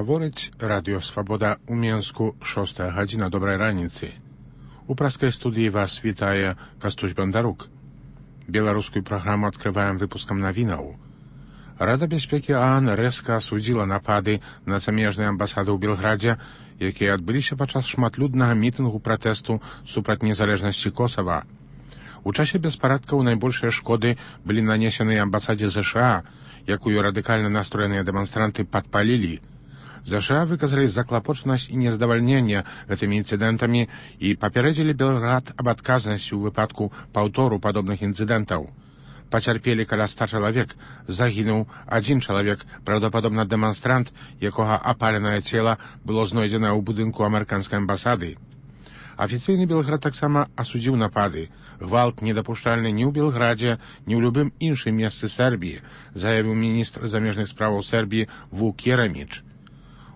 Гаворыць радыё Свабода ў Менску, 6 гадзіна, добрай раніцы. У праскай студыі вас вітае Кастусь Бандарук. Беларускую праграму адкрываем выпускам навінаў. Рада бяспекі ААН рэзка асудзіла напады на замежныя амбасады ў Белградзе, якія адбыліся падчас шматлюднага мітынгу пратэсту супраць незалежнасці Косава. У часе беспарадкаў найбольшыя шкоды былі нанесены амбасадзе ЗША, якую радыкальна настроеныя дэманстранты падпалілі. ЗША выказалі заклапочанасць і нездавальненне гэтымі інцыдэнтамі і папярэдзілі Белград аб адказнасці ў выпадку паўтору падобных інцыдэнтаў. Пацярпелі каля 100 чалавек, загінуў 1 чалавек, праўдападобна дэманстрант, якога апаленае цела было знойдзена ў будынку амерыканскай амбасады. Афіцыйны Белград таксама асудзіў напады. Гвалт недапушчальны ні ў Белградзе, ні ў любым іншым месцы Сербіі, заявіў міністр замежных справаў Сербіі Вук Ераміч.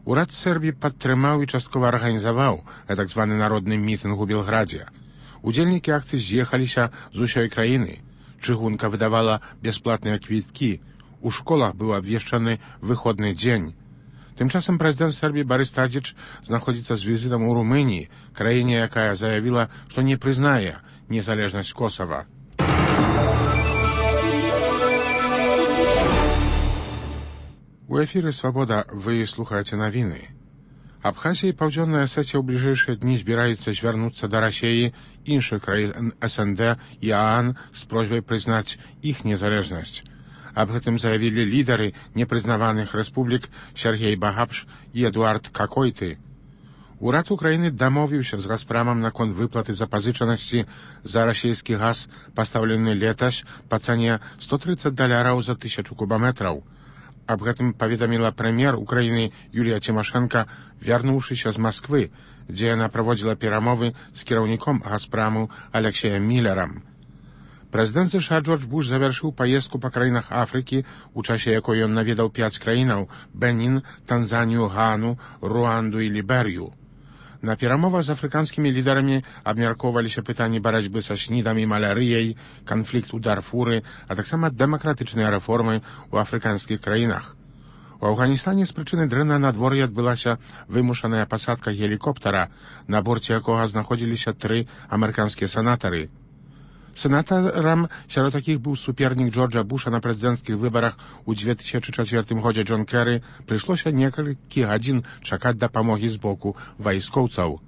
Урад Сербіі падтрымаў і часткова арганізаваў так званы народны мітынг у Белградзе. Удзельнікі акцыі з'ехаліся з усёй краіны. Чыгунка выдавала бясплатныя квіткі. У школах быў абвешчаны выходны дзень. Тым часам прэзідэнт Сербіі Барыс Тадзіч знаходзіцца з візітам у Румыніі, краіне, якая заявіла, што не прызнае незалежнасць Косава. У эфіры «Свабода» вы слухаеце навіны. Абхазія і Паўдзённая Асетія ў бліжэйшыя дні збіраюцца звярнуцца да Расіі, іншых краін СНД і ААН з просьбай прызнаць іх незалежнасць. Аб гэтым заявілі лідары непрызнаваных рэспублік Сергей Багапш і Эдуард Какойты. Урад Украіны дамовіўся з «Газпрамам» наконт выплаты запазычанасці за расійскі газ, пастаўлены летась па цане $130 за 1000 кубаметраў. Аб гэтым паведаміла прэм'ер Украіны Юлія Цімашэнка, вярнуўшыся з Масквы, дзе яна праводзіла перамовы з кіраўніком «Газпраму» Алексеем Міллерам. Прэзідэнт ЗША Джордж Буш завяршыў паездку па краінах Афрыкі, у часе якой ён наведаў 5 краінаў – Бенін, Танзанію, Гану, Руанду і Ліберію. На перамовах з афрыканскімі лідарамі абмяркоўваліся пытанні барацьбы са снідам і малярыяй, канфлікт у Дарфуры, а таксама дэмакратычныя рэформы ў афрыканскіх краінах. У Афганістане з прычыны дрэннага надвор'я адбылася вымушаная пасадка гелікоптара, на борце якога знаходзіліся 3 амерыканскія сенатары. Сенатарам сярод такіх быў супернік Джорджа Буша на прэзідэнцкіх выбарах у 2004 годзе Джон Керры. Прыйшлося некалькі гадзін чакаць дапамогі з боку вайскоўцаў.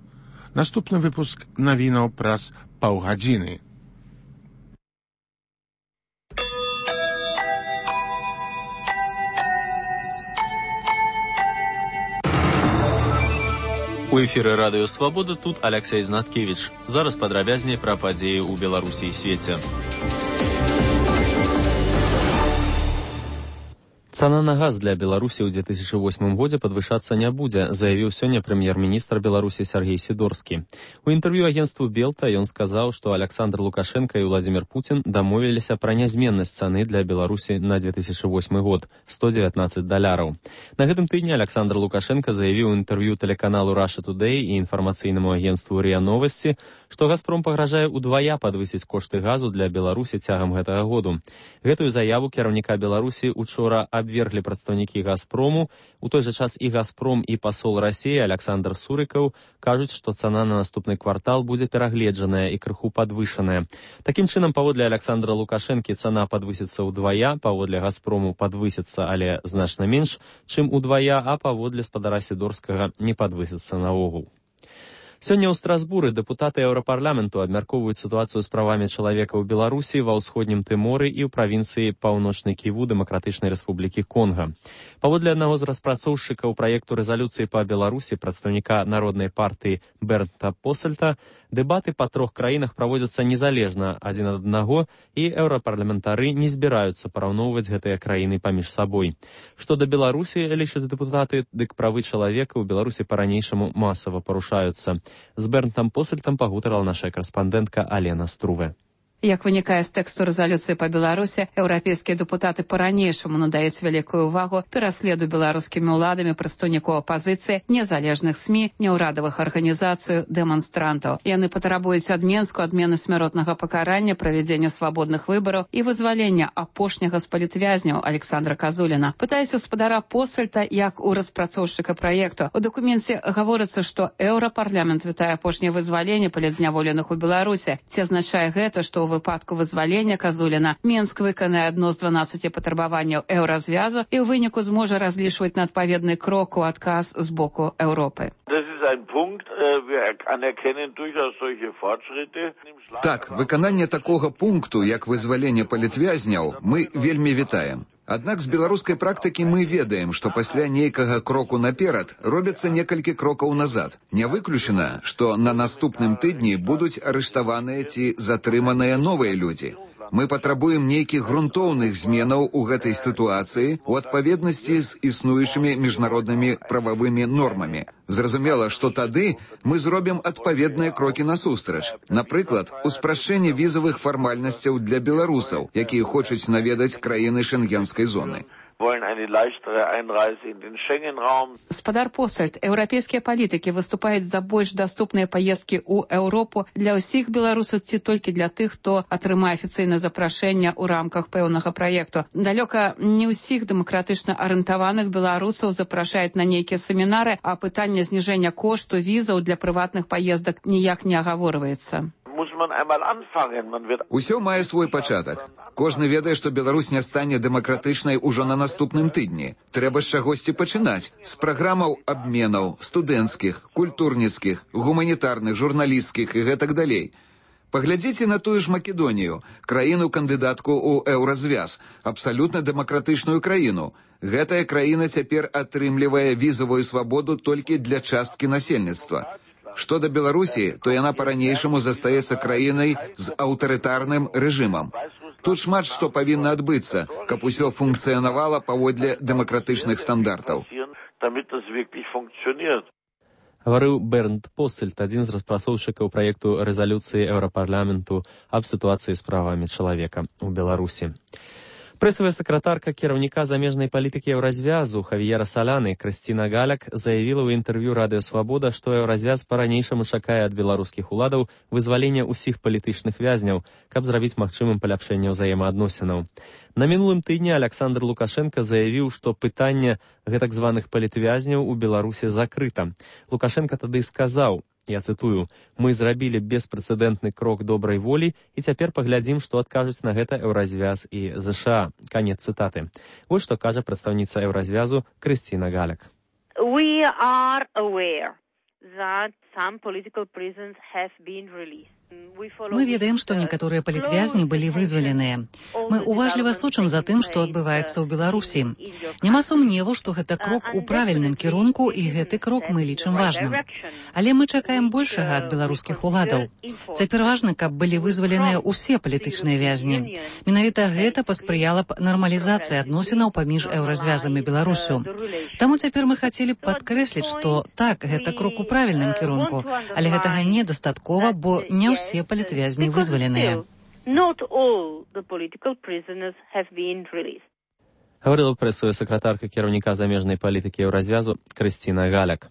Наступны выпуск навінаў праз паўгадзіны. У эфіры радыё «Свабода», тут Алексей Знаткевіч. Зараз падрабязней пра падзеі ў Беларусі і свеце. Цана на газ для Беларусі ў 2008 годзе падвышацца не будзе, заявіў сёння прэм'ер-міністр Беларусі Сергей Сідорскі. У інтэрв'ю агенству Белта ён сказаў, што Александр Лукашенко і Владзімир Пуцін дамовіліся пра нязменнасць цаны для Беларусі на 2008 год – $119. На гэтым тыдні Александр Лукашенко заявіў у інтэрв'ю тэлеканалу Russia Today і інфармацыйнаму агенству РИА Новости, што «Газпром» пагражае удвая падвысіць кошты газу для Беларусі цягам гэтага году. Гэтую заяву кіраўніка Беларусі учора абверглі прадстаўнікі «Газпрому». У той жа час і «Газпром», і пасол Расіі Александр Сурыкаў кажуць, што цана на наступны квартал будзе перагледжаная і крыху падвышаная. Такім чынам, паводле Александра Лукашэнкі цана падвысіцца ўдвая, паводле «Газпрому» падвысіцца, але значна менш, чым удвая, а паводле спадара Сідорскага не падвысіцца наогул. Сёння ў Страсбуры дэпутаты Еўрапарламенту абмяркоўваюць сітуацыю з правамі чалавека ў Беларусі, ва ўсходнім Тыморы і ў правінцыі Паўночны Ківу Дэмакратычнай Рэспублікі Конга. Паводле аднаго з распрацоўшчыкаў праекту рэзалюцыі па Беларусі, прадстаўніка Народнай партыі Бернта Посельта, дэбаты па 3 краінах праводзяцца незалежна адзін ад аднаго, і еўрапарламентары не збіраюцца параўноўваць гэтыя краіны паміж сабой. Што да Беларусі, лічаць дэпутаты, дык правы чалавека ў Беларусі па-ранейшаму масава парушаюцца. З Бернтам Посельтам пагутарала наша карэспандэнтка Алена Струве. Як вынікае з тэксту рэзалюцыі па Беларусі, еўрапейскія дэпутаты па-ранейшаму надаюць вялікую ўвагу пераследу беларускімі ўладамі прадстаўнікоў апазіцыі, незалежных СМІ, няўрадавых арганізацый, дэманстрантаў. Яны патрабуюць ад Менску адмены смяротнага пакарання, правядзення свабодных выбараў і вызвалення апошняга з палітвязняў Александра Казуліна. Пытаюся спадара Посальта, як у распрацоўшчыка праекту. У дакуменце гаворыцца, што Еўрапарламент вітае апошняе вызваленне палітзняволеных у Беларусі. Ці азначае гэта, што у выпадку вызвалення Казуліна Менск выканае адно з 12 патрабаванняў еўразвязу і ў выніку зможа разлічваць на адпаведны крок у адказ з боку Еўропы. Так, выкананне такога пункту, як вызваленне палітвязняў, мы вельмі вітаем. Аднак з беларускай практыкі мы ведаем, што пасля нейкага кроку наперад робяцца некалькі крокаў назад. Не выключана, што на наступным тыдні будуць арыштаваныя ці затрыманыя новыя людзі. Мы патрабуем нейкіх грунтоўных зменаў у гэтай сітуацыі у адпаведнасці з існуючымі міжнароднымі прававымі нормамі. Зразумела, што тады мы зробім адпаведныя крокі насустрач. Напрыклад, у спрашчэнні візавых фармальнасцяў для беларусаў, якія хочуць наведаць краіны шенгенскай зоны. Спадар Посальт, еўрапейскія палітыкі выступаюць за больш даступныя паездкі ў Еўропу для ўсіх беларусаў ці толькі для тых, хто атрымае афіцыйнае запрашэнне ў рамках пэўнага праекту. Далёка не ўсіх дэмакратычна арыентаваных беларусаў запрашаюць на нейкія семінары, а пытанне зніжэння кошту візаў для прыватных паездак ніяк не агаворваецца. Усё мае свой пачатак. Кожны ведае, што Беларусь не стане дэмакратычнай ужо на наступным тыдні. Трэба з чагосьці пачынаць. З праграмаў абменаў, студэнцкіх, культурніцкіх, гуманітарных, журналісцкіх і гэтак далей. Паглядзіце на тую ж Македонію, краіну-кандыдатку ў еўразвяз, абсалютна дэмакратычную краіну. Гэтая краіна цяпер атрымлівае візавую свабоду толькі для часткі насельніцтва. Што да Беларусі, то яна па-ранейшаму застаецца краінай з аўтарытарным рэжымам. Тут шмат што павінна адбыцца, каб усё функцыянавала паводле дэмакратычных стандартаў. Гаварыў Бернд Посальт, адзін з распрацоўшчыкаў праекту рэзалюцыі Еўрапарламенту аб сітуацыі з правамі чалавека ў Беларусі. Прэсавая сакратарка кіраўніка замежнай палітыкі еўразвязу Хавіера Саляны Крысціна Галяк заявіла ў інтэрв'ю Радыё Свабода, што еўразвяз па-ранейшаму чакае ад беларускіх уладаў вызвалення ўсіх палітычных вязняў, каб зрабіць магчымым паляпшэнне ўзаемаадносінаў. На мінулым тыдні Александр Лукашенка заявіў, што пытанне гэтак званых палітвязняў у Беларусі закрыта. Лукашенка тады сказаў, я цытую, «Мы зрабілі беспрэцэдэнтны крок добрай волі і цяпер паглядзім, што адкажуць на гэта Еўразвяз і ЗША». Канец цытаты. Вось што кажа прадстаўніца Еўразвязу Крысціна Галяк. We are aware that some political prisoners have been released. Мы ведаем, што некаторыя палітвязні былі вызваленыя. Мы уважліва сочым за тым, што адбываецца ў Беларусі. Няма сумневу, што гэта крок у правільным кірунку, і гэты крок мы лічым важным. Але мы чакаем большага ад беларускіх уладаў. Цяпер важна, каб былі вызваленыя ўсе палітычныя вязні. Менавіта гэта паспрыяла б нармалізацыі адносінаў паміж еўразвязам і Беларусю. Таму цяпер мы хацелі б падкрэсліць, што так, гэта крок у правільным кірунку, але гэтага недастаткова, бо не ўсе палітвязні вызваленыя. Гаварыла прэсавая сакратарка кіраўніка замежнай палітыкі еўразвязу Крысціна Галяк.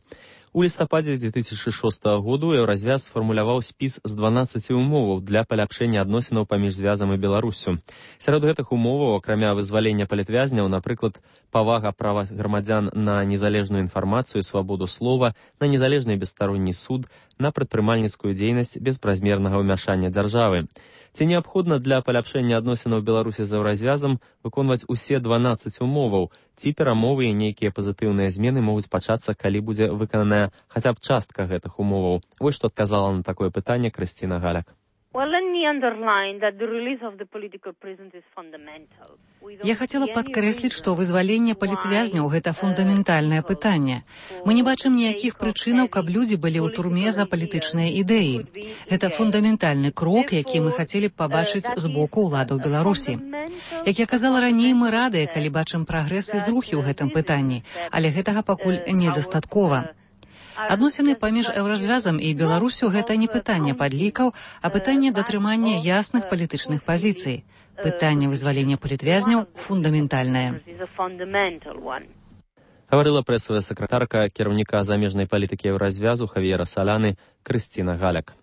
У лістападзе 2006 году еўразвяз сфармуляваў спіс з 12 умоваў для паляпшэння адносінаў паміж звязам і Беларуссю. Сярод гэтых умоваў, акрамя вызвалення палітвязняў, напрыклад, павага права грамадзян на незалежную інфармацыю, свабоду слова, на незалежны і бесстаронні суд, на прадпрымальніцкую дзейнасць без празмернага ўмяшання дзяржавы. Ці неабходна для паляпшэння адносінаў Беларусі з еўразвязам выконваць усе 12 умоваў, ці перамовы і нейкія пазітыўныя змены могуць пачацца, калі будзе выкананая хаця б частка гэтых умоваў. Вось што адказала на такое пытанне Крысціна Галяк. Я хацела падкрэсліць, што вызваленне палітвязняў – гэта фундаментальнае пытанне. Мы не бачым ніякіх прычынаў, каб людзі былі ў турме за палітычныя ідэі. Гэта фундаментальны крок, які мы хацелі б пабачыць з боку ўладаў Беларусі. Як я казала раней, мы радыя, калі бачым прагрэс і зрухі ў гэтым пытанні, але гэтага пакуль недастаткова. Адносіны паміж еўразвязам і Беларусю гэта не пытанне падлікаў, а пытанне датрымання ясных палітычных пазіцый. Пытанне вызвалення палітвязняў фундаментальнае. Гаварыла прэсавая сакратарка кіраўніка замежнай палітыкі еўразвязу Хавіера Саляны Крысціна Галяк.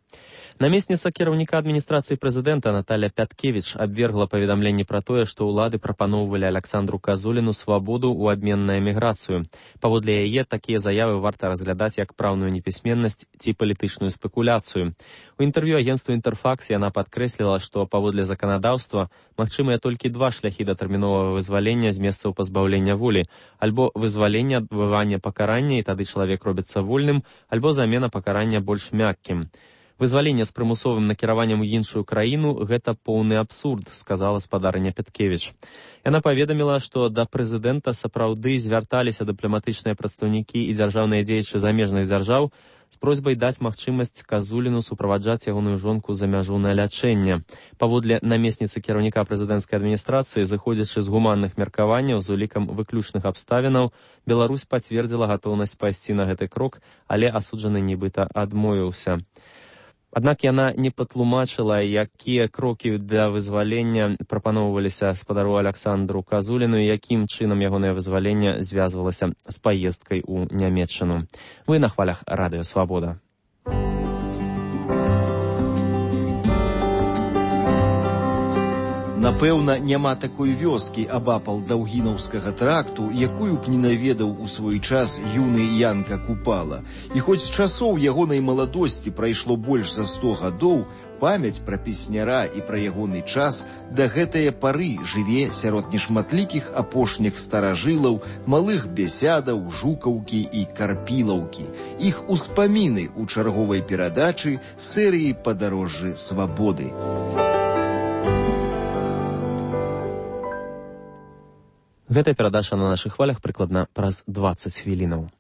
Намесніца кіраўніка адміністрацыі прэзідэнта Наталя Пяткевіч абвергла паведамленні пра тое, што ўлады прапаноўвалі Аляксандру Казуліну свабоду ў абмен на эміграцыю. Паводле яе, такія заявы варта разглядаць як праўную непісьменнасць ці палітычную спекуляцыю. У інтэрв'ю агенцтву «Інтэрфакс» яна падкрэсліла, што паводле заканадаўства магчымыя толькі два шляхі датэрміновага вызвалення з месцаў пазбаўлення волі, альбо вызвалення ад адбывання пакарання, і тады чалавек робіцца вольным, альбо замена пакарання больш мяккім. Вызваленне з прымусовым накіраваннем у іншую краіну – гэта поўны абсурд, сказала спадарыня Пяткевіч. Яна паведаміла, што да прэзідэнта сапраўды звярталіся дыпламатычныя прадстаўнікі і дзяржаўныя дзеячы замежных дзяржаў з просьбай даць магчымасць Казуліну суправаджаць ягоную жонку за мяжу на лячэнне. Паводле намесніцы кіраўніка прэзідэнцкай адміністрацыі, зыходзячы з гуманных меркаванняў з улікам выключных абставінаў, Беларусь пацвердзіла гатоўнасць пайсці на гэты крок, але асуджаны нібыта адмовіўся. Аднак яна не патлумачыла, якія крокі для вызвалення прапаноўваліся спадару Аляксандру Казуліну і якім чынам ягонае вызваленне звязвалася з паездкай у Нямецчыну. Вы на хвалях Радыё Свабода. Напэўна, няма такой вёскі абапал Даўгінаўскага тракту, якую б не наведаў у свой час юны Янка Купала. І хоць часоў ягонай маладосці прайшло больш за 100 гадоў, памяць пра песняра і пра ягоны час да гэтае пары жыве сярод нешматлікіх апошніх старажылаў, малых бесядаў, жукаўкі і карпілаўкі. Іх успаміны ў чарговай перадачы серыі «Падарожжы свабоды». Гэтая перадача на нашых хвалях прыкладна праз 20 хвілінаў.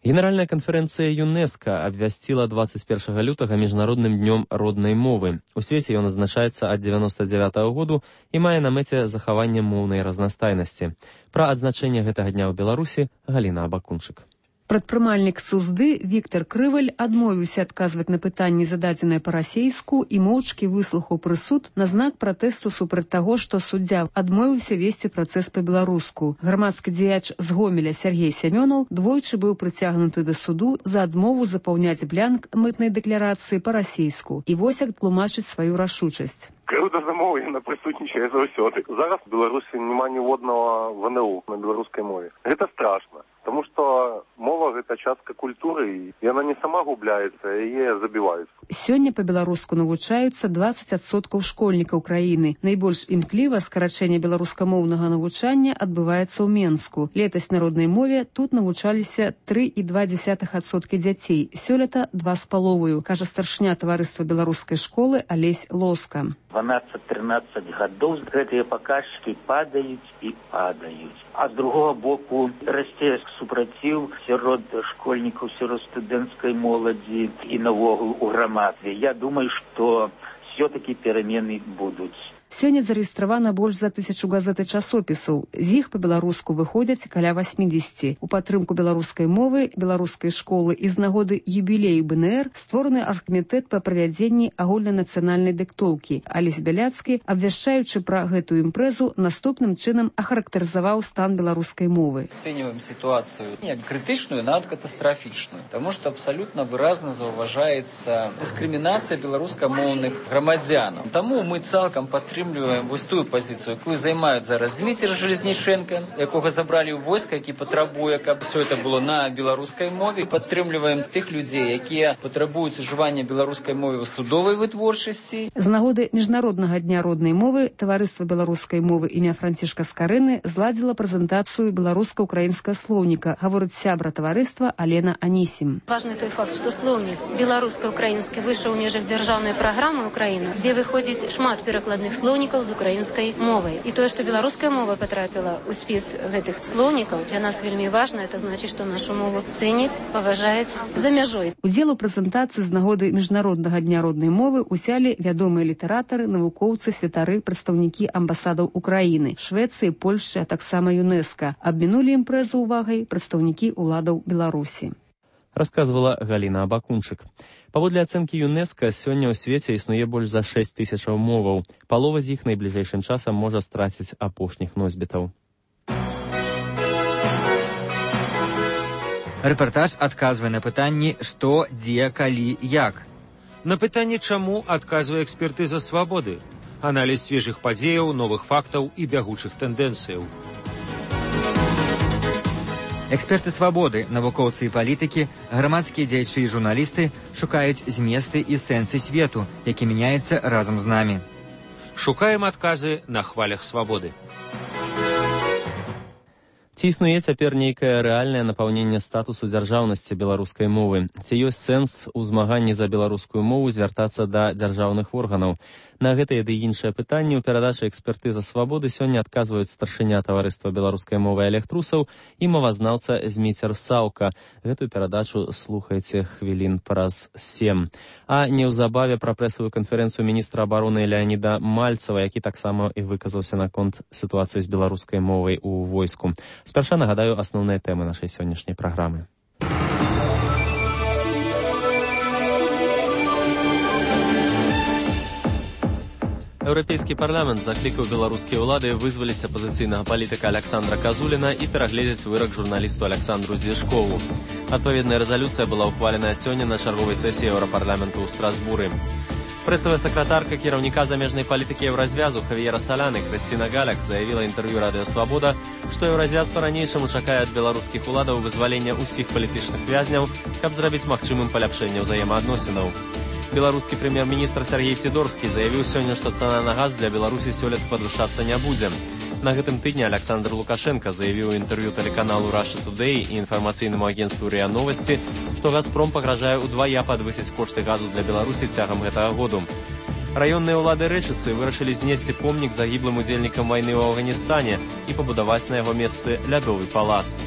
Генеральная канферэнцыя ЮНЕСКА абвясціла 21 лютага міжнародным днём роднай мовы. У свеце ён адзначаецца ад 99-го году і мае на мэце захаванне моўнай разнастайнасці. Пра адзначэнне гэтага дня ў Беларусі Галіна Абакунчык. Прадпрымальнік Сузды Віктор Крываль адмовіўся адказваць на пытанні, зададзеныя па-расейску, і моўчкі выслухаў прысуд на знак пратэсту супраць таго, што суддзя адмовіўся весці працэс па-беларуску. Грамадскі дзеяч з Гомеля Сергей Сямёнаў двойчы быў прыцягнуты да суду за адмову запаўняць блянк мытнай дэкларацыі па-расейску. І вось як тлумачыць сваю рашучасць. Крыўда за мову, яна прысутнічае заўсёды. Зараз у Беларусі няма ніводнага ВНУ на беларускай мове. Гэта страшна, таму што мова – гэта частка культуры, і яна не сама губляецца, яе забіваюць. Сёння па-беларуску навучаюцца 20% школьнікаў краіны. Найбольш імкліва скарачэнне беларускамоўнага навучання адбываецца ў Менску. Летась на роднай мове тут навучаліся 3,2% дзяцей, сёлета 2,5%, кажа старшыня таварыства беларускай школы Алесь Лоска. 12-13 гадоў гэтыя паказчыкі падаюць і падаюць. А з другого боку расце супраціў сярод школьнікаў, сярод студэнцкай моладзі і навогул у грамадстве. Я думаю, што все-таки перамены будуць. Сёння зарэгістравана больш за 1000 газет і часопісаў. З іх па-беларуску выходзяць каля 80. У падтрымку беларускай мовы, беларускай школы і з нагоды юбілею БНР створаны аргкамітэт па правядзенні агульнанацыянальнай дыктоўкі. Алесь Бяляцкі, абвяшчаючы пра гэтую імпрэзу, наступным чынам ахарактарызаваў стан беларускай мовы. Оцениваем ситуацию не критичную, а катастрофичную, потому что абсолютно выразно зауважаецца дыскрымінацыя беларускамоўных грамадзянаў. Таму мы цалкам падтрымліваем вось тую пазіцыю, якую займаюць зараз Дмітрий Железніченко, якога забралі ў войска, які патрабуе, каб все это было на беларускай мове. Падтрымліваем тых людзей, якія патрабуюць ужывання беларускай мовы ў судовай вытворчасці. З нагоды міжнароднага дня роднай мовы таварыства беларускай мовы імя Францішка Скарыны зладзіла прэзентацыю беларуска-украінскага слоўніка, гаворыць сябра таварыства Алена Анісім. Важны той факт, што слоўнік беларуска-украінскі выйшаў у межах дзяржаўнай праграмы Украіны, дзе выходзіць шмат перакладных слоўнікаў з украінскай мовай. І тое, што беларуская мова патрапіла ў спіс гэтых слоўнікаў, для нас вельмі важна. Это значыць, што нашу мову цэняць, паважаюць за мяжой. Удзел у прэзентацыі з нагоды міжнароднага дня роднай мовы ўзялі вядомыя літаратары, навукоўцы, святары, прадстаўнікі амбасадаў Украіны, Швецыі, Польшчы, а таксама ЮНЕСКА. Абмінулі імпрэзу увагай прадстаўнікі ўладаў Беларусі. расказвала Галіна Абакунчык. Паводле ацэнкі ЮНЕСКО, сёння ў свеце існуе больш за 6 000 моваў. Палова з іх найбліжэйшым часам можа страціць апошніх носьбітаў. Рэпартаж адказвае на пытанні «Што, дзе, калі, як?». На пытанне «Чаму» адказвае экспертыза «Свабоды». Аналіз свежых падзеяў, новых фактаў і бягучых тэндэнцыяў. Эксперты «Свабоды», навукоўцы і палітыкі, грамадскія дзеячы і журналісты шукаюць зместы і сэнсы свету, які мяняецца разам з намі. Шукаем адказы на хвалях «Свабоды». Ці існуе цяпер нейкае рэальнае напаўненне статусу дзяржаўнасці беларускай мовы? Ці ёсць сэнс у змаганні за беларускую мову звяртацца да дзяржаўных органаў? На гэтыя ды іншыя пытанні ў перадачы «Экспертыза Свабоды» сёння адказваюць старшыня таварыства беларускай мовы Олег Трусаў і мовазнаўца Зміцер Саўка. Гэтую перадачу слухайце хвілін праз 7. А неўзабаве пра прэсавую канферэнцыю міністра абароны Леаніда Мальцева, які таксама і выказаўся наконт сітуацыі з беларускай мовай у войску. Спярша нагадаю асноўныя тэмы нашай сённяшняй праграмы. Еўрапейскі парламент заклікаў беларускія ўлады вызваліць апазіцыйнага палітыка Аляксандра Казуліна і перагледзець вырак журналісту Аляксандру Зешкову. Адпаведная рэзалюцыя была ўхваленая сёння на чарговай сесіі Еўрапарламенту ў Страсбуры. Прэсавая сакратарка кіраўніка замежнай палітыкі Еўразвязу Хавіера Саляны Крысціна Галяк заявіла інтэрв'ю Радыё Свабода, што Еўразвяз па-ранейшаму чакае ад беларускіх уладаў вызвалення ўсіх палітычных вязняў, каб зрабіць магчымым паляпшэнне ўзаемаадносінаў. Беларускі прэм'ер-міністр Сяргей Сідорскі заявіў сёння, што цана на газ для Беларусі сёлета падвышацца не будзе. На гэтым тыдні Аляксандр Лукашенка заявіў у інтэрв'ю тэлеканалу Russia Today і інфармацыйнаму агенцтву РИА Новасці, што Газпром пагражае ўдвая падвысіць кошты газу для Беларусі цягам гэтага году. Раённыя ўлады Рэчыцы вырашылі знесці помнік загіблым удзельнікам вайны ў Афганістане і пабудаваць на яго месцы лядовы палац.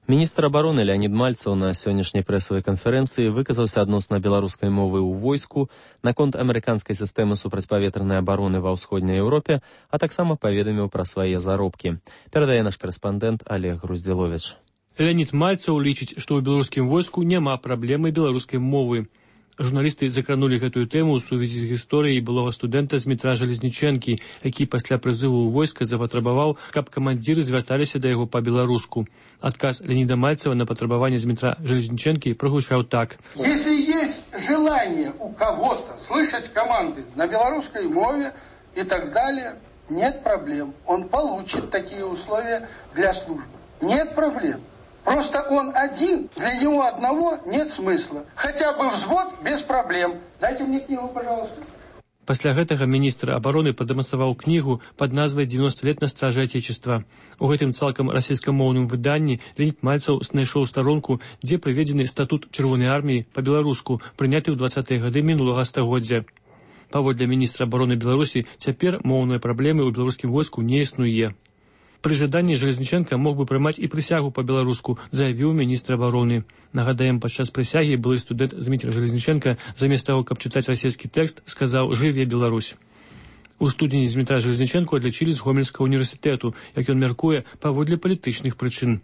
Міністр абароны Леанід Мальцаў на сённяшняй прэсавай канферэнцыі выказаўся адносна беларускай мовы ў войску, наконт амерыканскай сістэмы супрацьпаветранай абароны ва ўсходняй Еўропе, а таксама паведаміў пра свае заробкі. Перадае наш карэспандэнт Олег Груздзіловіч. Леанід Мальцаў лічыць, што ў беларускім войску няма праблемы беларускай мовы. Журналісты закранулі гэтую тэму ў сувязі з гісторыяй былога студэнта Змітра Жалезнічэнкі, які пасля прызыву ў войска запатрабаваў, каб камандзіры звярталіся да яго па-беларуску. Адказ Леаніда Мальцева на патрабаванне Змітра Жалезнічэнкі прогучаў так. Если есть желание у кого-то слышать команды на белорусской мове и так далее, нет проблем. Он получит такие условия для службы. Нет проблем. Просто он один, для него одного нет смысла. Хотя бы взвод без проблем. Дайте мне книгу, пожалуйста. Пасля гэтага міністр абароны прадэманстраваў кнігу пад назвай «90 лет на стражы Отечества». У гэтым цалкам расійскамоўным выданні Леанід Мальцаў знайшоў старонку, дзе прыведзены статут Чырвонай арміі па-беларуску, прыняты ў 20-е гады мінулага стагоддзя. Паводле міністра абароны Беларусі, цяпер моўнай праблемы ў беларускім войску не існуе. Пры жаданні Жалезнічэнка мог бы прымаць і прысягу па-беларуску, заявіў міністр абароны. Нагадаем, падчас прысягі былы студэнт Зміцер Жалезнічэнка замест таго, каб чытаць расійскі тэкст, сказаў «Жыве Беларусь». У студзені Змітра Жалезнічэнку адлічылі з Гомельскага універсітэту, як ён мяркуе, паводле палітычных прычын.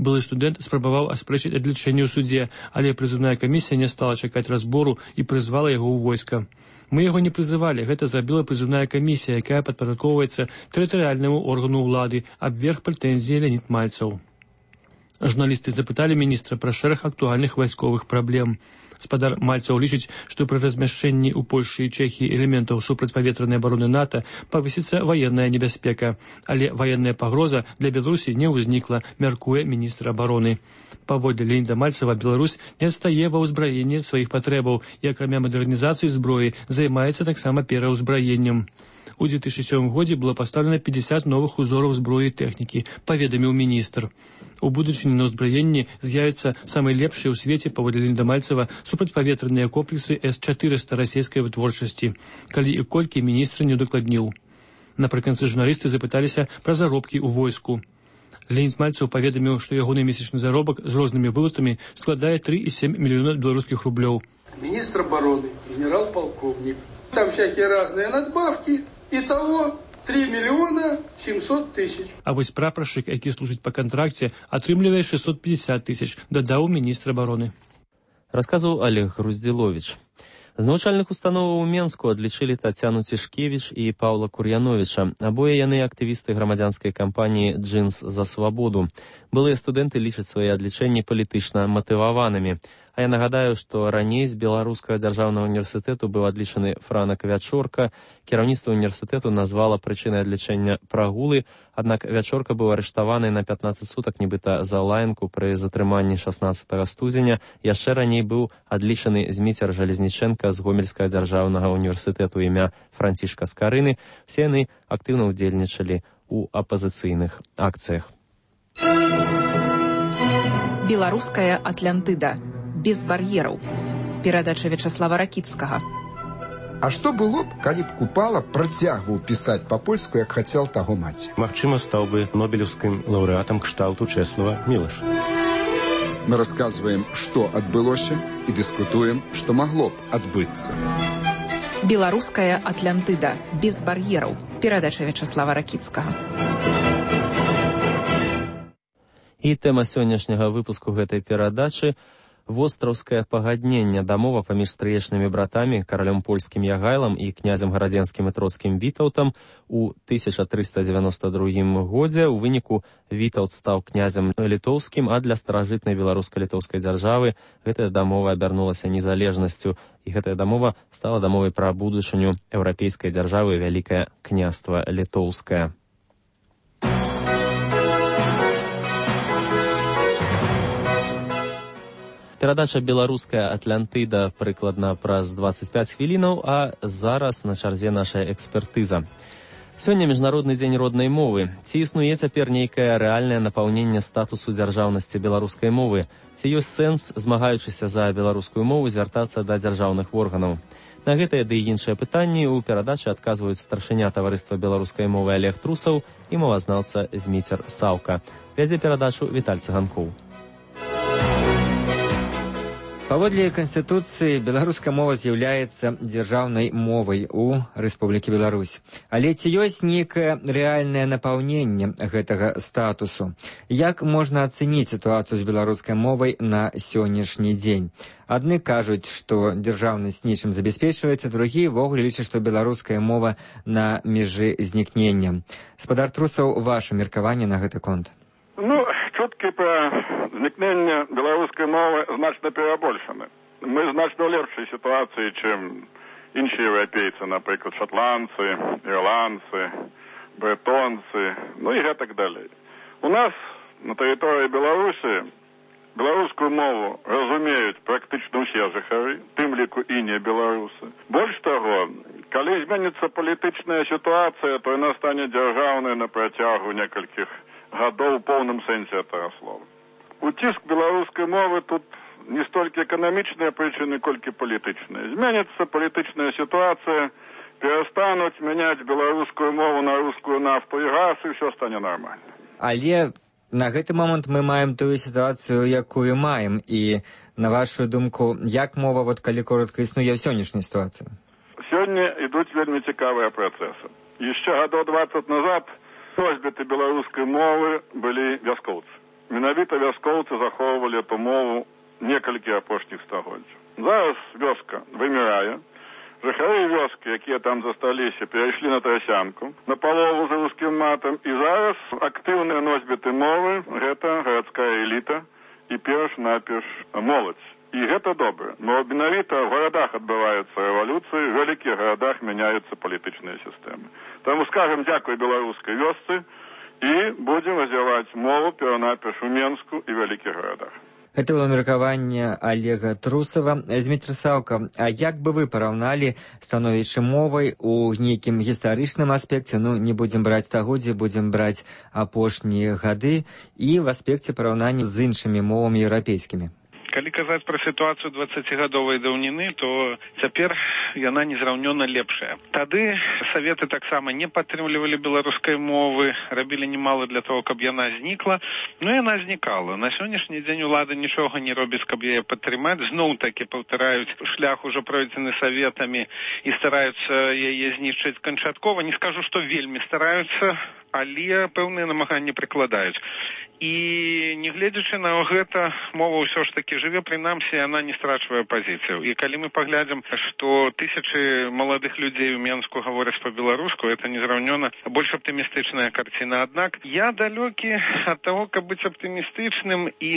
Былы студэнт спрабаваў аспрэчыць адлічэнне ў судзе, але прызыўная камісія не стала чакаць разбору і прызвала яго ў войска. Мы яго не прызывалі, гэта зрабіла прызыўная камісія, якая падпарадкоўваецца тэрытарыяльнаму органу ўлады, абверг прэтэнзіі Леанід Мальцаў. Журналісты запыталі міністра пра шэраг актуальных вайсковых праблем. Спадар Мальцаў лічыць, што пры размяшчэнні ў Польшчы і Чэхіі элементаў супрацьпаветранай абароны НАТО павысіцца ваенная небяспека, але ваенная пагроза для Беларусі не ўзнікла, мяркуе міністр абароны. Паводле Леаніда Мальцева, Беларусь не адстае ва ўзбраенні сваіх патрэбаў і, акрамя мадэрнізацыі зброі, займаецца таксама пераўзбраеннем. У 2007 годзе было пастаўлена 50 новых узораў зброі і тэхнікі, паведаміў міністр. У будучыні на ўзбраенні з'явяцца самыя лепшыя ў свеце, паводле Леаніда Мальцева, супрацьпаветраныя комплексы С-400 расійскай вытворчасці, калі і колькі міністр не удакладніў. Напрыканцы журналісты запыталіся пра заробкі ў войску. Леанід Мальцаў паведаміў, што ягоны месячны заробак з рознымі вылатамі складае 3,7 мільёна беларускіх рублёў. Министр обороны, генерал-полковник. Там всякие разные надбавки. Итого 3 миллиона 700 тысяч. А вось прапаршчык, які служыць па кантракце, атрымлівае 650 тысяч, дадаў міністр абароны. Расказваў Олег Груздзіловіч. З навучальных установаў у Менску адлічылі Тацяну Цішкевіч і Паўла Кур'яновіча. Абое яны актывісты грамадзянскай кампаніі «Джинс за свабоду». Былыя студэнты лічаць свае адлічэнні палітычна матываванымі. А я нагадаю, што раней з Беларускага дзяржаўнага універсітэту быў адлічаны Франак Вячорка. Кіраўніцтва універсітэту назвала прычынай адлічэння прагулы, аднак Вячорка быў арыштаваны на 15 сутак нібыта за лаянку пры затрыманні 16 студзеня. Яшчэ раней быў адлічаны Зміцер Жалезніченка з Гомельскага дзяржаўнага універсітэту імя Францішка Скарыны. Все яны актыўна ўдзельнічалі ў апазіцыйных акцыях. Беларуская Атлантыда. Без бар'ераў. Перадача Вячаслава Ракіцкага. А што было б, калі б Купала працягваў пісаць па-польску, як хацеў таго маці? Магчыма, стаў бы нобелеўскім лаўрэатам кшталту Чэслава Мілаша. Мы расказваем, што адбылося, і дыскутуем, што магло б адбыцца. Беларуская Атлантыда. Без бар'ераў. Перадача Вячаслава Ракіцкага. І тэма сённяшняга выпуску гэтай перадачы – востраўскае пагадненне, дамова паміж стрыечнымі братамі, каралём польскім Ягайлам і князем гарадзенскім і троцкім Вітаўтам у 1392 годзе. У выніку Вітаўт стаў князем літоўскім, а для старажытнай беларуска-літоўскай дзяржавы гэтая дамова абярнулася незалежнасцю, і гэтая дамова стала дамовай пра будучыню еўрапейскай дзяржавы Вялікае княства літоўскае. Перадача «Беларуская Атлантыда» прыкладна праз 25 хвілінаў, а зараз на чарзе наша экспертыза. Сёння Міжнародны дзень роднай мовы. Ці існуе цяпер нейкае рэальнае напаўненне статусу дзяржаўнасці беларускай мовы? Ці ёсць сэнс, змагаючыся за беларускую мову, звяртацца да дзяржаўных органаў? На гэтыя ды і іншыя пытанні ў перадачы адказваюць старшыня таварыства беларускай мовы Олег Трусаў і мовазнаўца Зміцер Саўка. Вядзе перадачу Віталь Цыганкоў. Паводле Канстытуцыі беларуская мова з'яўляецца дзяржаўнай мовай у Рэспублікі Беларусь. Але ці ёсць нейкае рэальнае напаўненне гэтага статусу? Як можна ацэніць сітуацыю з беларускай мовай на сённяшні дзень? Адны кажуць, што дзяржаўнасць нечым забяспечваецца, другія ввогуле лічаць, што беларуская мова на мяжы знікнення. Спадар Трусаў, ваше меркаванне на гэты конт? Чуткі пра знікнення беларускай мовы значна перабольшаны. Мы значна ў лепшай сітуацыі, чым іншыя еўрапейцы, напрыклад, шатландцы, ірландцы, брэтонцы, і гэтак далей. У нас на тэрыторыі Беларусі беларускую мову разумеюць практычна ўсе жыхары, тым ліку і не беларусы. Больш таго, калі зменіцца палітычная сітуацыя, то яна стане дзяржаўнай на працягу некалькіх гадоў у поўным сэнсе гэтага слова. Уціск беларускай мовы тут не столькі эканамічныя прычыны, колькі палітычныя. Зменіцца палітычная сітуацыя, перастануць мяняць беларускую мову на рускую нафту і газ, і ўсё стане нармальна. Але на гэты момант мы маем тую сітуацыю, якую маем. І, на вашу думку, як мова, калі коротка, існуе ў сённяшняй сітуацыі? Сёння ідуць вельмі цікавыя працэсы. Яшчэ гадоў 20 назад носьбіты беларускай мовы былі вяскоўцы. Менавіта вяскоўцы захоўвалі эту мову некалькі апошніх стагоддзяў. Зараз вёска вымірае. Жыхары вёскі, якія там засталіся, перайшлі на трасянку, напалову за рускім матам, і зараз актыўныя носьбіты мовы – гэта гарадская эліта і перш-наперш моладзь. І гэта добра. Но менавіта ў гарадах адбываюцца рэвалюцыі, у вялікіх гарадах мяняюцца палітычныя сістэмы. Таму скажам дзякуй беларускай вёсцы і будзем развіваць мову перш-наперш у Менску і вялікіх гарадах. Гэта было меркаванне Олега Трусава. Зміцер Саўка, а як бы вы параўналі становішча мовай у нейкім гістарычным аспекце, не будзем браць стагоддзі, будзем браць апошнія гады, і в аспекце параўнання з іншымі мовамі еўрапейскімі? Калі казаць пра сітуацыю 20гадовай даўніны, то цяпер яна незраўнёна лепшая. Тады саветы таксама не падтрымлівалі беларускай мовы, рабілі немало для того, каб яна знікла, но яна знікала. На сённяшні дзень улада нічога не робіць, каб яе падтрымаць. Зноў-такі паўтараюць шлях ужо пройдзены саветамі і стараюцца яе знішчыць канчаткова. Не скажу, што вельмі стараюцца, але пэўныя намаганні прыкладаюць. І нягледзячы на гэта, мова ўсё ж такі жыве, прынамсі яна не страчвае пазіцыю. І калі мы паглядзім, што тысячы маладых людзей у Менску гавораць па-беларуску, это незраўнёна больш аптымістычная карціна. Аднак я далёкі ад таго, каб быць аптымістычным і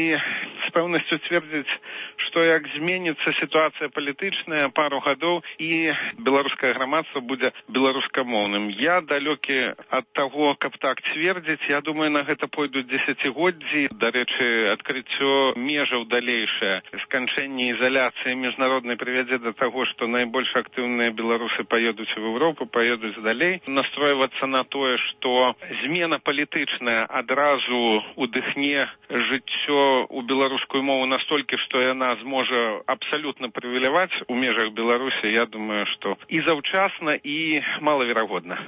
з пэўнасцю цвердзіць, што як зменіцца сітуацыя палітычная пару гадоў і беларускае грамадства будзе беларускамоўным. Я далёкі ад таго, каб так цвердзіць. Я думаю, на гэта пойдуць дзесяцігоддзі. Дарэчы, адкрыццё межаў далейшае, сканчэнне ізаляцыі міжнароднай прывядзе да таго, што найбольш актыўныя беларусы паедуць в Еўропу, паедуць далей. Настройвацца на тое, што змена палітычная адразу удыхне жыццё ў беларускую мову настолькі, што яна зможа абсалютна прывіляваць у межах Беларусі, я думаю, што і заўчасна, і малаверагодна.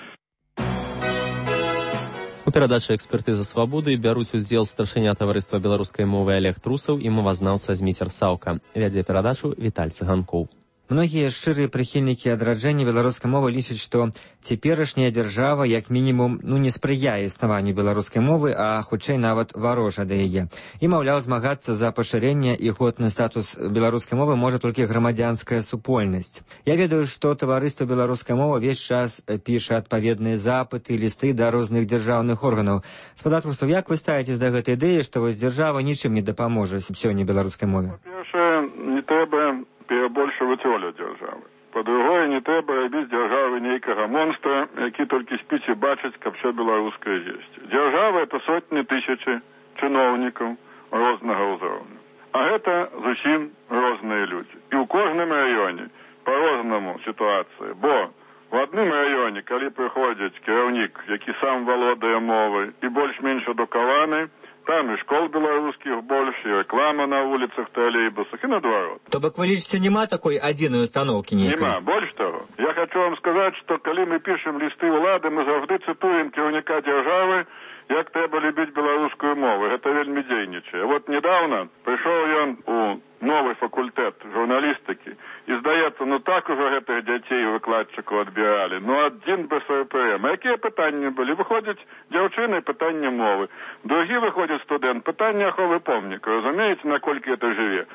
У перадачы «Экспертыза свабоды» бяруць удзел старшыня таварыства беларускай мовы Олег Трусаў і мовазнаўца Зміцер Саўка. Вядзе перадачу Віталь Цыганкоў. Многія шчырыя прыхільнікі адраджэння беларускай мовы лічаць, што цяперашняя дзяржава як мінімум не спрыяе існаванню беларускай мовы, а хутчэй нават варожа да яе. І, маўляў, змагацца за пашырэнне і годны статус беларускай мовы можа толькі грамадзянская супольнасць. Я ведаю, што таварыства беларускай мовы ўвесь час піша адпаведныя запыты, лісты да розных дзяржаўных органаў. Спадар Трусаў, як вы ставіцеся да гэтай ідэі, што вось дзяржава нічым не дапаможа сёння беларускай мове? Па-першае, не трэба перабольшваць ролю дзяржавы. Па-другое, не трэба рабіць дзяржавы нейкага монстра, які толькі спіць і бачыць, каб все беларускае ёсць. Дзяржава — это сотні тысячы чыноўнікаў рознага ўзроўню. А гэта зусім розныя людзі. І ў кожным раёне па-рознаму сітуацыя. Бо в адным раёне, калі прыходзіць кіраўнік, які сам валодае мовай і больш-менш адукаваны, там і школ беларускіх больш, і рэклама на вуліцах, тралейбусах, і наадварот. То бок вы лічыце, няма такой адзінай установкі нейкай? Нема. Больш таго, я хочу вам сказаць, што калі мы пішем лісты ўлады, мы заўжды цытуем кіраўніка дзяржавы, як трэба любіць беларускую мову. Гэта вельмі дзейнічае. Вот недавно прыйшоў ён у новы факультэт журналістыкі, і здаецца, так ужо гэтых дзяцей выкладчыкаў адбіралі. Адзін БСРПМ. Якія пытанні былі? Выходзіць дзяўчыны, пытанне мовы. Другі выходзіць студэнт, пытанне аховы помніка. Разумееце, наколькі гэта жыве?